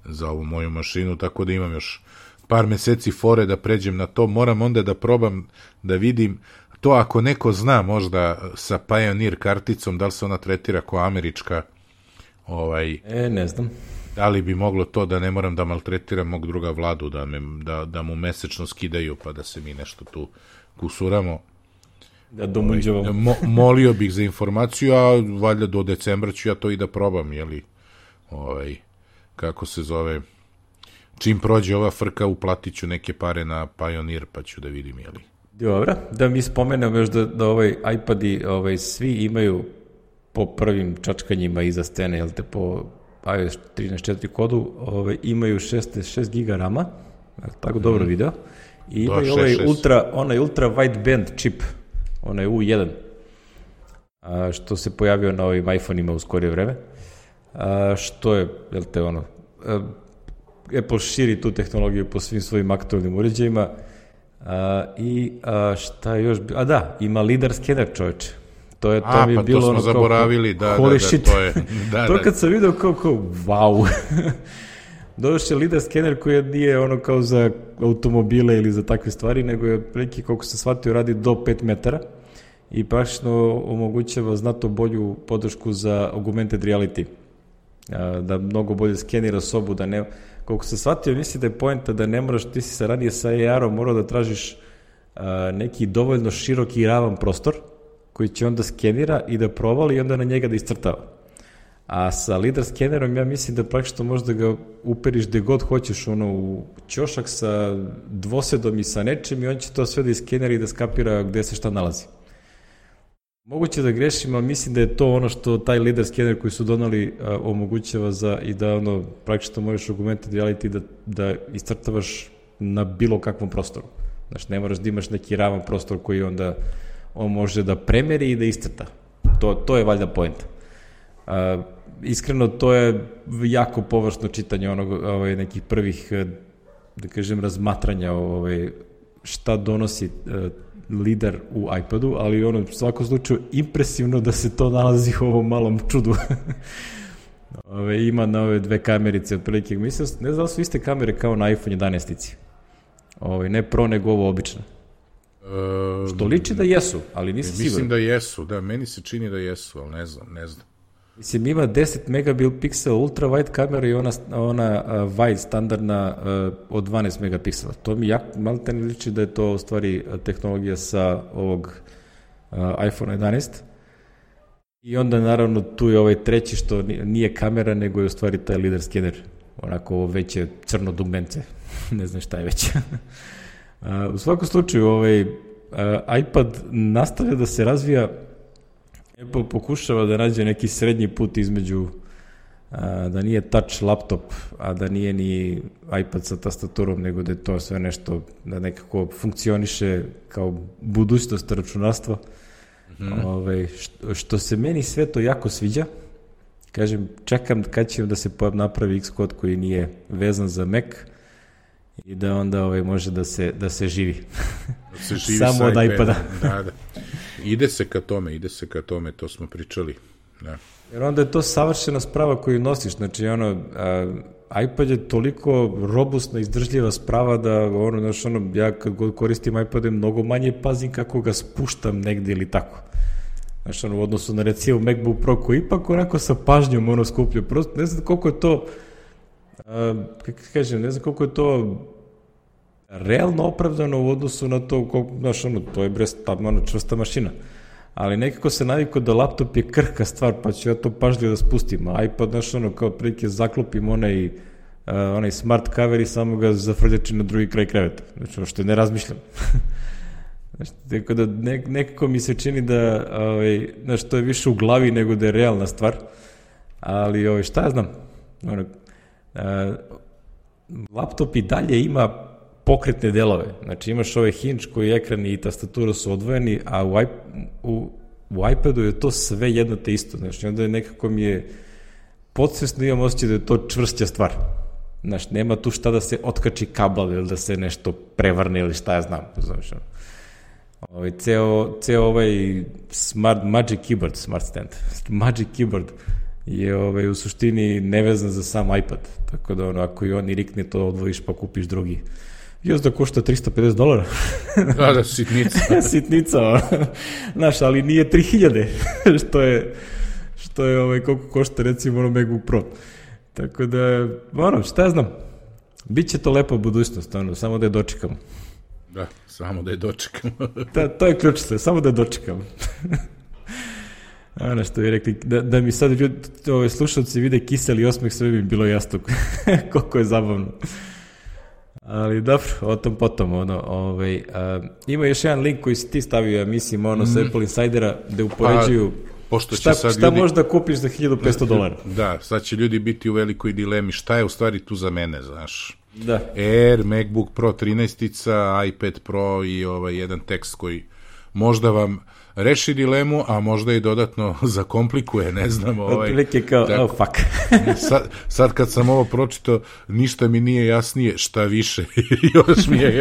za ovu moju mašinu, tako da imam još par meseci fore da pređem na to. Moram onda da probam da vidim to, ako neko zna možda sa Pioneer karticom, da li se ona tretira kao američka, ne znam. Da li bi moglo to da ne moram da maltretiram mog druga Vladu, da mu mesečno skidaju, pa da se mi nešto tu kusuramo. Da domunđavamo. Molio bih za informaciju, a valjda do decembra ću ja to i da probam, kako se zove, čim prođe ova frka, uplatit ću neke pare na Pioneer, pa ću da vidim, Dobro, da mi spomenem još da iPadi svi imaju po prvim čačkanjima iza scene, jel te, po iOS 13.4 kodu, imaju 6 giga rama, tako dobro video, i imaju onaj ultra wideband čip, onaj U1, što se pojavio na ovim iPhone-ima u skorije vreme, što je, jel te, Apple širi tu tehnologiju po svim svojim aktualnim uređajima, i šta je još, ima lidar skener, čoveče. To mi je bilo to smo zaboravili, to je. To kad sam vidio kao wow. Došao je lidar skener koji nije kao za automobile ili za takve stvari, nego je prilike, koliko se shvatio, radi do 5 metara i praktično omogućava znatno bolju podršku za augmented reality. Da mnogo bolje skenira sobu, da ne... Koliko se shvatio, misli da je poenta da ne moraš, ti si ranije sa AR-om morao da tražiš neki dovoljno široki i ravan prostor koji će onda skenira i da provali i onda na njega da iscrtava. A sa lidar skenerom ja mislim da praktično možda ga uperiš gde god hoćeš, u ćošak sa dvosedom i sa nečim, i on će to sve da iskenira i da skapira gde se šta nalazi. Moguće da grešim, ali mislim da je to ono što taj lidar skener koji su donali omogućava i da praktično možeš augmented reality da iscrtavaš na bilo kakvom prostoru. Znači, ne moraš da imaš neki ravan prostor koji onda on može da premeri i da iscrta. To je valjda poenta. Iskreno, to je jako površno čitanje nekih prvih, da kažem, razmatranja šta donosi lidar u iPadu, ali u svakom slučaju impresivno da se to nalazi u ovom malom čudu. Ima na ove dve kamerice otprilike. Mislim, ne znam da su iste kamere kao na iPhone 11-ici. Ne Pro, nego ovo obično. Što liči da jesu, ali nisam siguran. Mislim da jesu, da, meni se čini da jesu, ali ne znam. Mislim, ima 10 megapixel ultra wide kamera i ona wide standardna od 12 megapiksela. To mi malo te ne liči da je to u stvari tehnologija sa ovog iPhone 11. I onda naravno tu je ovaj treći što nije kamera, nego je u stvari taj lidar skener. Onako veće crno dugmence. Ne znam šta je već. U svakom slučaju, iPad nastavlja da se razvija. Apple pokušava da nađe neki srednji put između da nije touch laptop, a da nije ni iPad sa tastaturom, nego da je to sve nešto da nekako funkcioniše kao budućnost računarstva. Što se meni sve to jako sviđa. Kažem, čekam kad će da se napravi Xcode koji nije vezan za Mac i da onda može da se živi. Samo od iPada. Da. Ide se ka tome, to smo pričali. Da. Jer onda je to savršena sprava koju nosiš. Znači, iPad je toliko robustna, izdržljiva sprava da ja kad god koristim iPad mnogo manje pazim kako ga spuštam negde ili tako. Znači, u odnosu na recimo MacBook Pro koji ipak onako sa pažnjom skuplja. Prosto ne znam koliko je to ne znam koliko je to realno opravdano u odnosu na to, to je čvrsta mašina. Ali nekako se navikao da laptop je krhka stvar, pa ću ja to pažljivo da spustim. A iPad, kao prilike zaklopim onaj smart cover i samo ga zafrljačim na drugi kraj kreveta. Znači, što ne razmišljam. Tako da nekako mi se čini da to je više u glavi nego da je realna stvar. Ali šta ja znam? Laptop i dalje ima pokretne delove. Znači, imaš hinge koji ekran i tastatura su odvojeni, a u u iPadu je to sve jedno te isto, znači onda je nekako mi je podsvesno imam osjećaj da je to čvršća stvar. Znači, nema tu šta da se otkači kabel ili da se nešto prevrne ili šta ja znam. Znači, ceo ovaj Magic Keyboard je u suštini nevezan za sam iPad. Tako da ako i on i rikne, to odvojiš pa kupiš drugi. Još da košta $350. Da, sitnica. Sitnica, znaš, ali nije 3000, što je koliko košta recimo MacBook Pro. Tako da, šta ja znam, bit će to lepa budućnost, samo da je dočekamo. Da, samo da je dočekamo. To je ključ, samo da je dočekamo. Ono što je rekli, da mi sad slušalci vide kiseli osmeh, sve bi bilo jasno koliko je zabavno. Ali dobro, o tom potom, ima još jedan link koji si ti stavio, ja mislim, sa Apple Insidera, gde upoređuju šta možda kupiš za $1.500. Da, sad će ljudi biti u velikoj dilemi, šta je u stvari tu za mene, znaš. Da. Air, MacBook Pro 13, iPad Pro i jedan tekst koji možda vam reši dilemu, a možda i dodatno zakomplikuje, ne znam. Otprilike kao, fuck. sad kad sam ovo pročitao, ništa mi nije jasnije, šta više,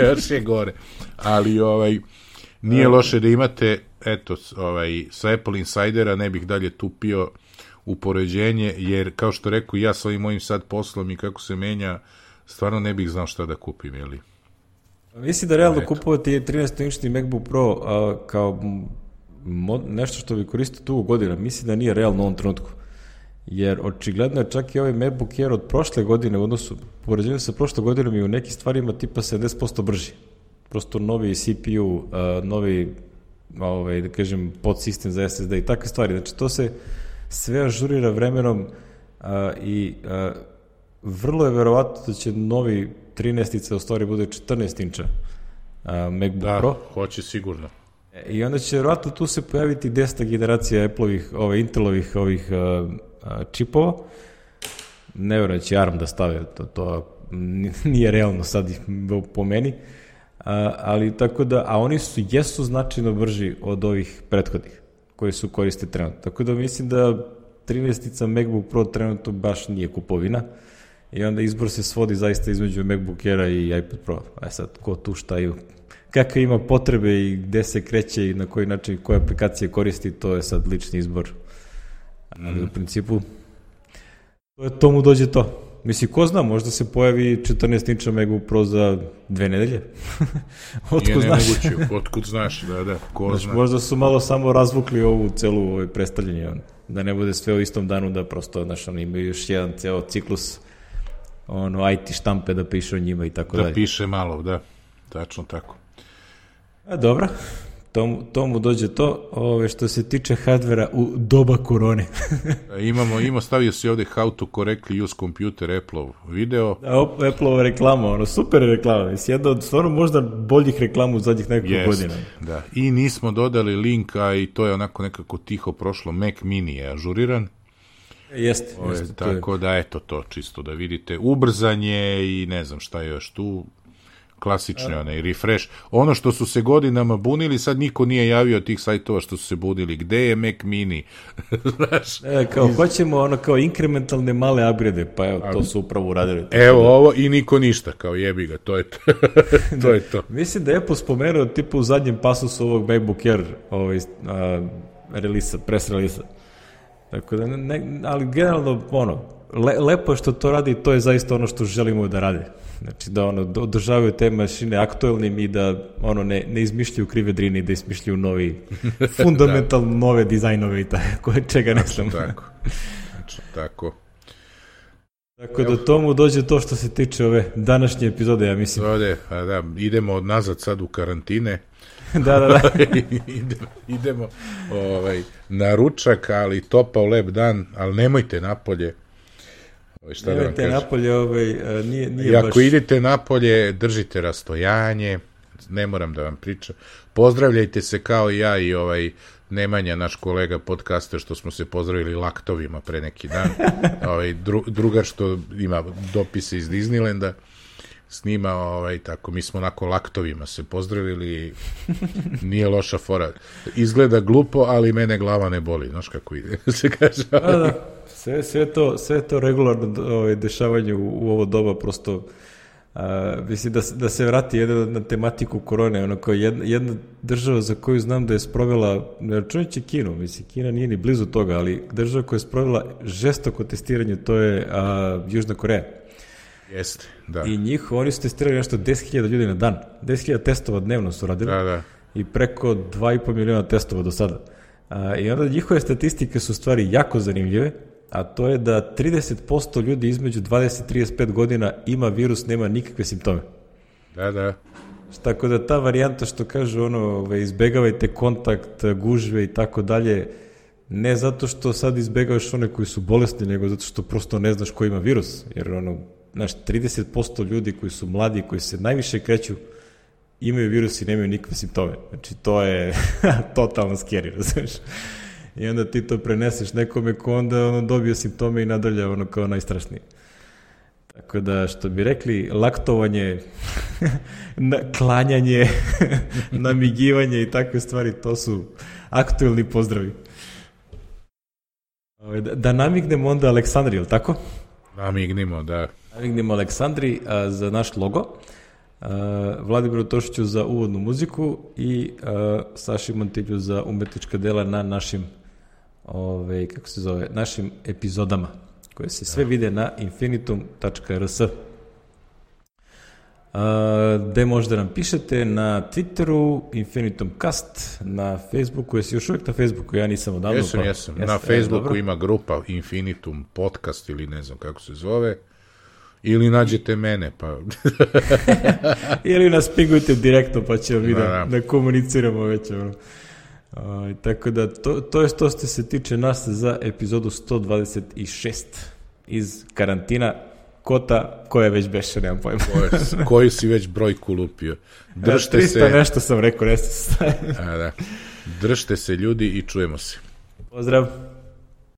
još je gore. Ali nije loše da imate, eto, sa Apple Insidera ne bih dalje tupio u poređenje, jer kao što rekao, ja sa ovim mojim sad poslom i kako se menja, stvarno ne bih znao šta da kupim, jeli? Mislim da realno kupovati 13-inčni MacBook Pro kao nešto što bi koristio tu godina, mislim da nije realno u ovom trenutku. Jer očigledno je čak i ovaj MacBook Air od prošle godine u odnosu, poređenju sa prošle godinom i u nekim stvarima tipa 70% brži. Prosto novi CPU, novi, da kažem, podsistem za SSD i takve stvari. Znači, to se sve ažurira vremenom i vrlo je verovatno da će novi 13-ica u stvari bude 14-inča MacBook Pro. Da, hoće sigurno. I onda će verovatno tu se pojaviti 10. generacija Apple-ovih, Intel-ovih čipova. Ne verujem da će ARM da stave, to nije realno sad po meni. Ali tako da, a oni jesu značajno brži od ovih prethodnih koji su koriste trenutno. Tako da mislim da 13-ica MacBook Pro trenutno baš nije kupovina. I onda izbor se svodi zaista između MacBook Aira i iPad Pro. Sad, ko tu šta i kakve ima potrebe i gde se kreće i na koji način, koje aplikacije koristi, to je sad lični izbor. Ali u principu, to mu dođe to. Mislim, ko zna, možda se pojavi 14-inča MacBook Pro za 2 nedelje. Otkud znaš? Otkud znaš, da, ko zna. Možda su malo samo razvukli ovu celu predstavljanje, da ne bude sve u istom danu, da prosto, znaš, oni imaju još jedan ceo ciklus IT štampe da piše o njima i tako dalje. Da piše malo, da, tačno tako. Dobro, to mu dođe to, što se tiče hardvera u doba korone. Stavio si ovde how to correctly use computer Apple-ov video. Da, Apple-ova reklama, super reklama, mislim, jedna od stvarno možda boljih reklama u zadnjih nekoliko godina. Da, i nismo dodali link, a i to je onako nekako tiho prošlo, Mac Mini je ažuriran. Jeste. Tako da, eto to, čisto da vidite, ubrzanje i ne znam šta je još tu, klasični onaj refresh. Ono što su se godinama bunili, sad niko nije javio tih sajtova što su se bunili. Gde je Mac Mini? Znaš? Hoćemo kao inkrementalne male upgrade, pa evo, to su upravo uradili. Evo ovo i niko ništa, kao jebi ga, to je to. To je to. Mislim da je Apple spomenuo tipa u zadnjem pasusu ovog MacBook Air press relisa. Tako da, ali generalno, lepo je što to radi, to je zaista ono što želimo da rade. Znači, da održavaju te mašine aktuelnim i da ne izmišljaju krive drine i da izmišljaju novi, fundamentalno nove dizajnove i čega ne znam. Tako. Tako da tomu dođe to što se tiče ove današnje epizode, ja mislim. Idemo od nazad sad u karantine. Da. Idemo na ručak, ali topao lep dan, ali nemojte napolje. Nemojte napolje, nije baš... Ako idete napolje, držite rastojanje, ne moram da vam pričam. Pozdravljajte se kao ja i Nemanja, naš kolega podcaster, što smo se pozdravili laktovima pre neki dan. Drugar što ima dopise iz Disneylanda. snima, tako, mi smo onako laktovima se pozdravili, nije loša fora. Izgleda glupo, ali mene glava ne boli, znaš kako ide, se kaže. Da. Sve to regularno dešavanje u ovo doba, prosto mislim da se vrati na tematiku korone, ono kao jedna država za koju znam da je sprovela, ne računajući Kinu, mislim, Kina nije ni blizu toga, ali država koja je sprovela žestoko testiranje, to je Južna Koreja. Jeste, da. I oni su testirali nešto 10.000 ljudi na dan. 10.000 testova dnevno su radili. Da. I preko 2,5 miliona testova do sada. I onda njihove statistike su stvari jako zanimljive, a to je da 30% ljudi između 20 i 35 godina ima virus, nema nikakve simptome. Da. Tako da ta varijanta što kažu, izbegavajte kontakt, gužve i tako dalje, ne zato što sad izbegavaš one koji su bolesni, nego zato što prosto ne znaš ko ima virus. Jer 30% ljudi koji su mladi, koji se najviše kreću, imaju virus i nemaju nikakve simptome. Znači, to je totalno scary, razumiješ? I onda ti to preneseš nekome ko onda dobije simptome i nadalje kao najstrašnije. Tako da, što bi rekli, laktovanje, klanjanje, namigivanje i takve stvari, to su aktuelni pozdravi. Da namignemo onda Aleksandri, ili tako? Namignimo, da. Namignemo Aleksandri za naš logo, Vladimiru Tošiću za uvodnu muziku i Saši Montilju za umetnička dela na našim našim epizodama, koje se sve vide na infinitum.rs. Gde možda nam pišete? Na Twitteru, InfinitumCast, na Facebooku. Jesi još uvijek na Facebooku? Ja nisam odavno. Jesam. Na Facebooku ima grupa Infinitum Podcast ili ne znam kako se zove. Ili nađete mene, pa... Ili nas pingujte direktno, pa ćemo mi da komuniciramo već. Tako da, to je što se tiče nas za epizodu 126 iz karantina. Kota, koja već beše, nemam pojma. Koju si već brojku lupio. Držte 300 se... nešto sam rekao, nešto se staje. Da. Držte se ljudi i čujemo se. Pozdrav.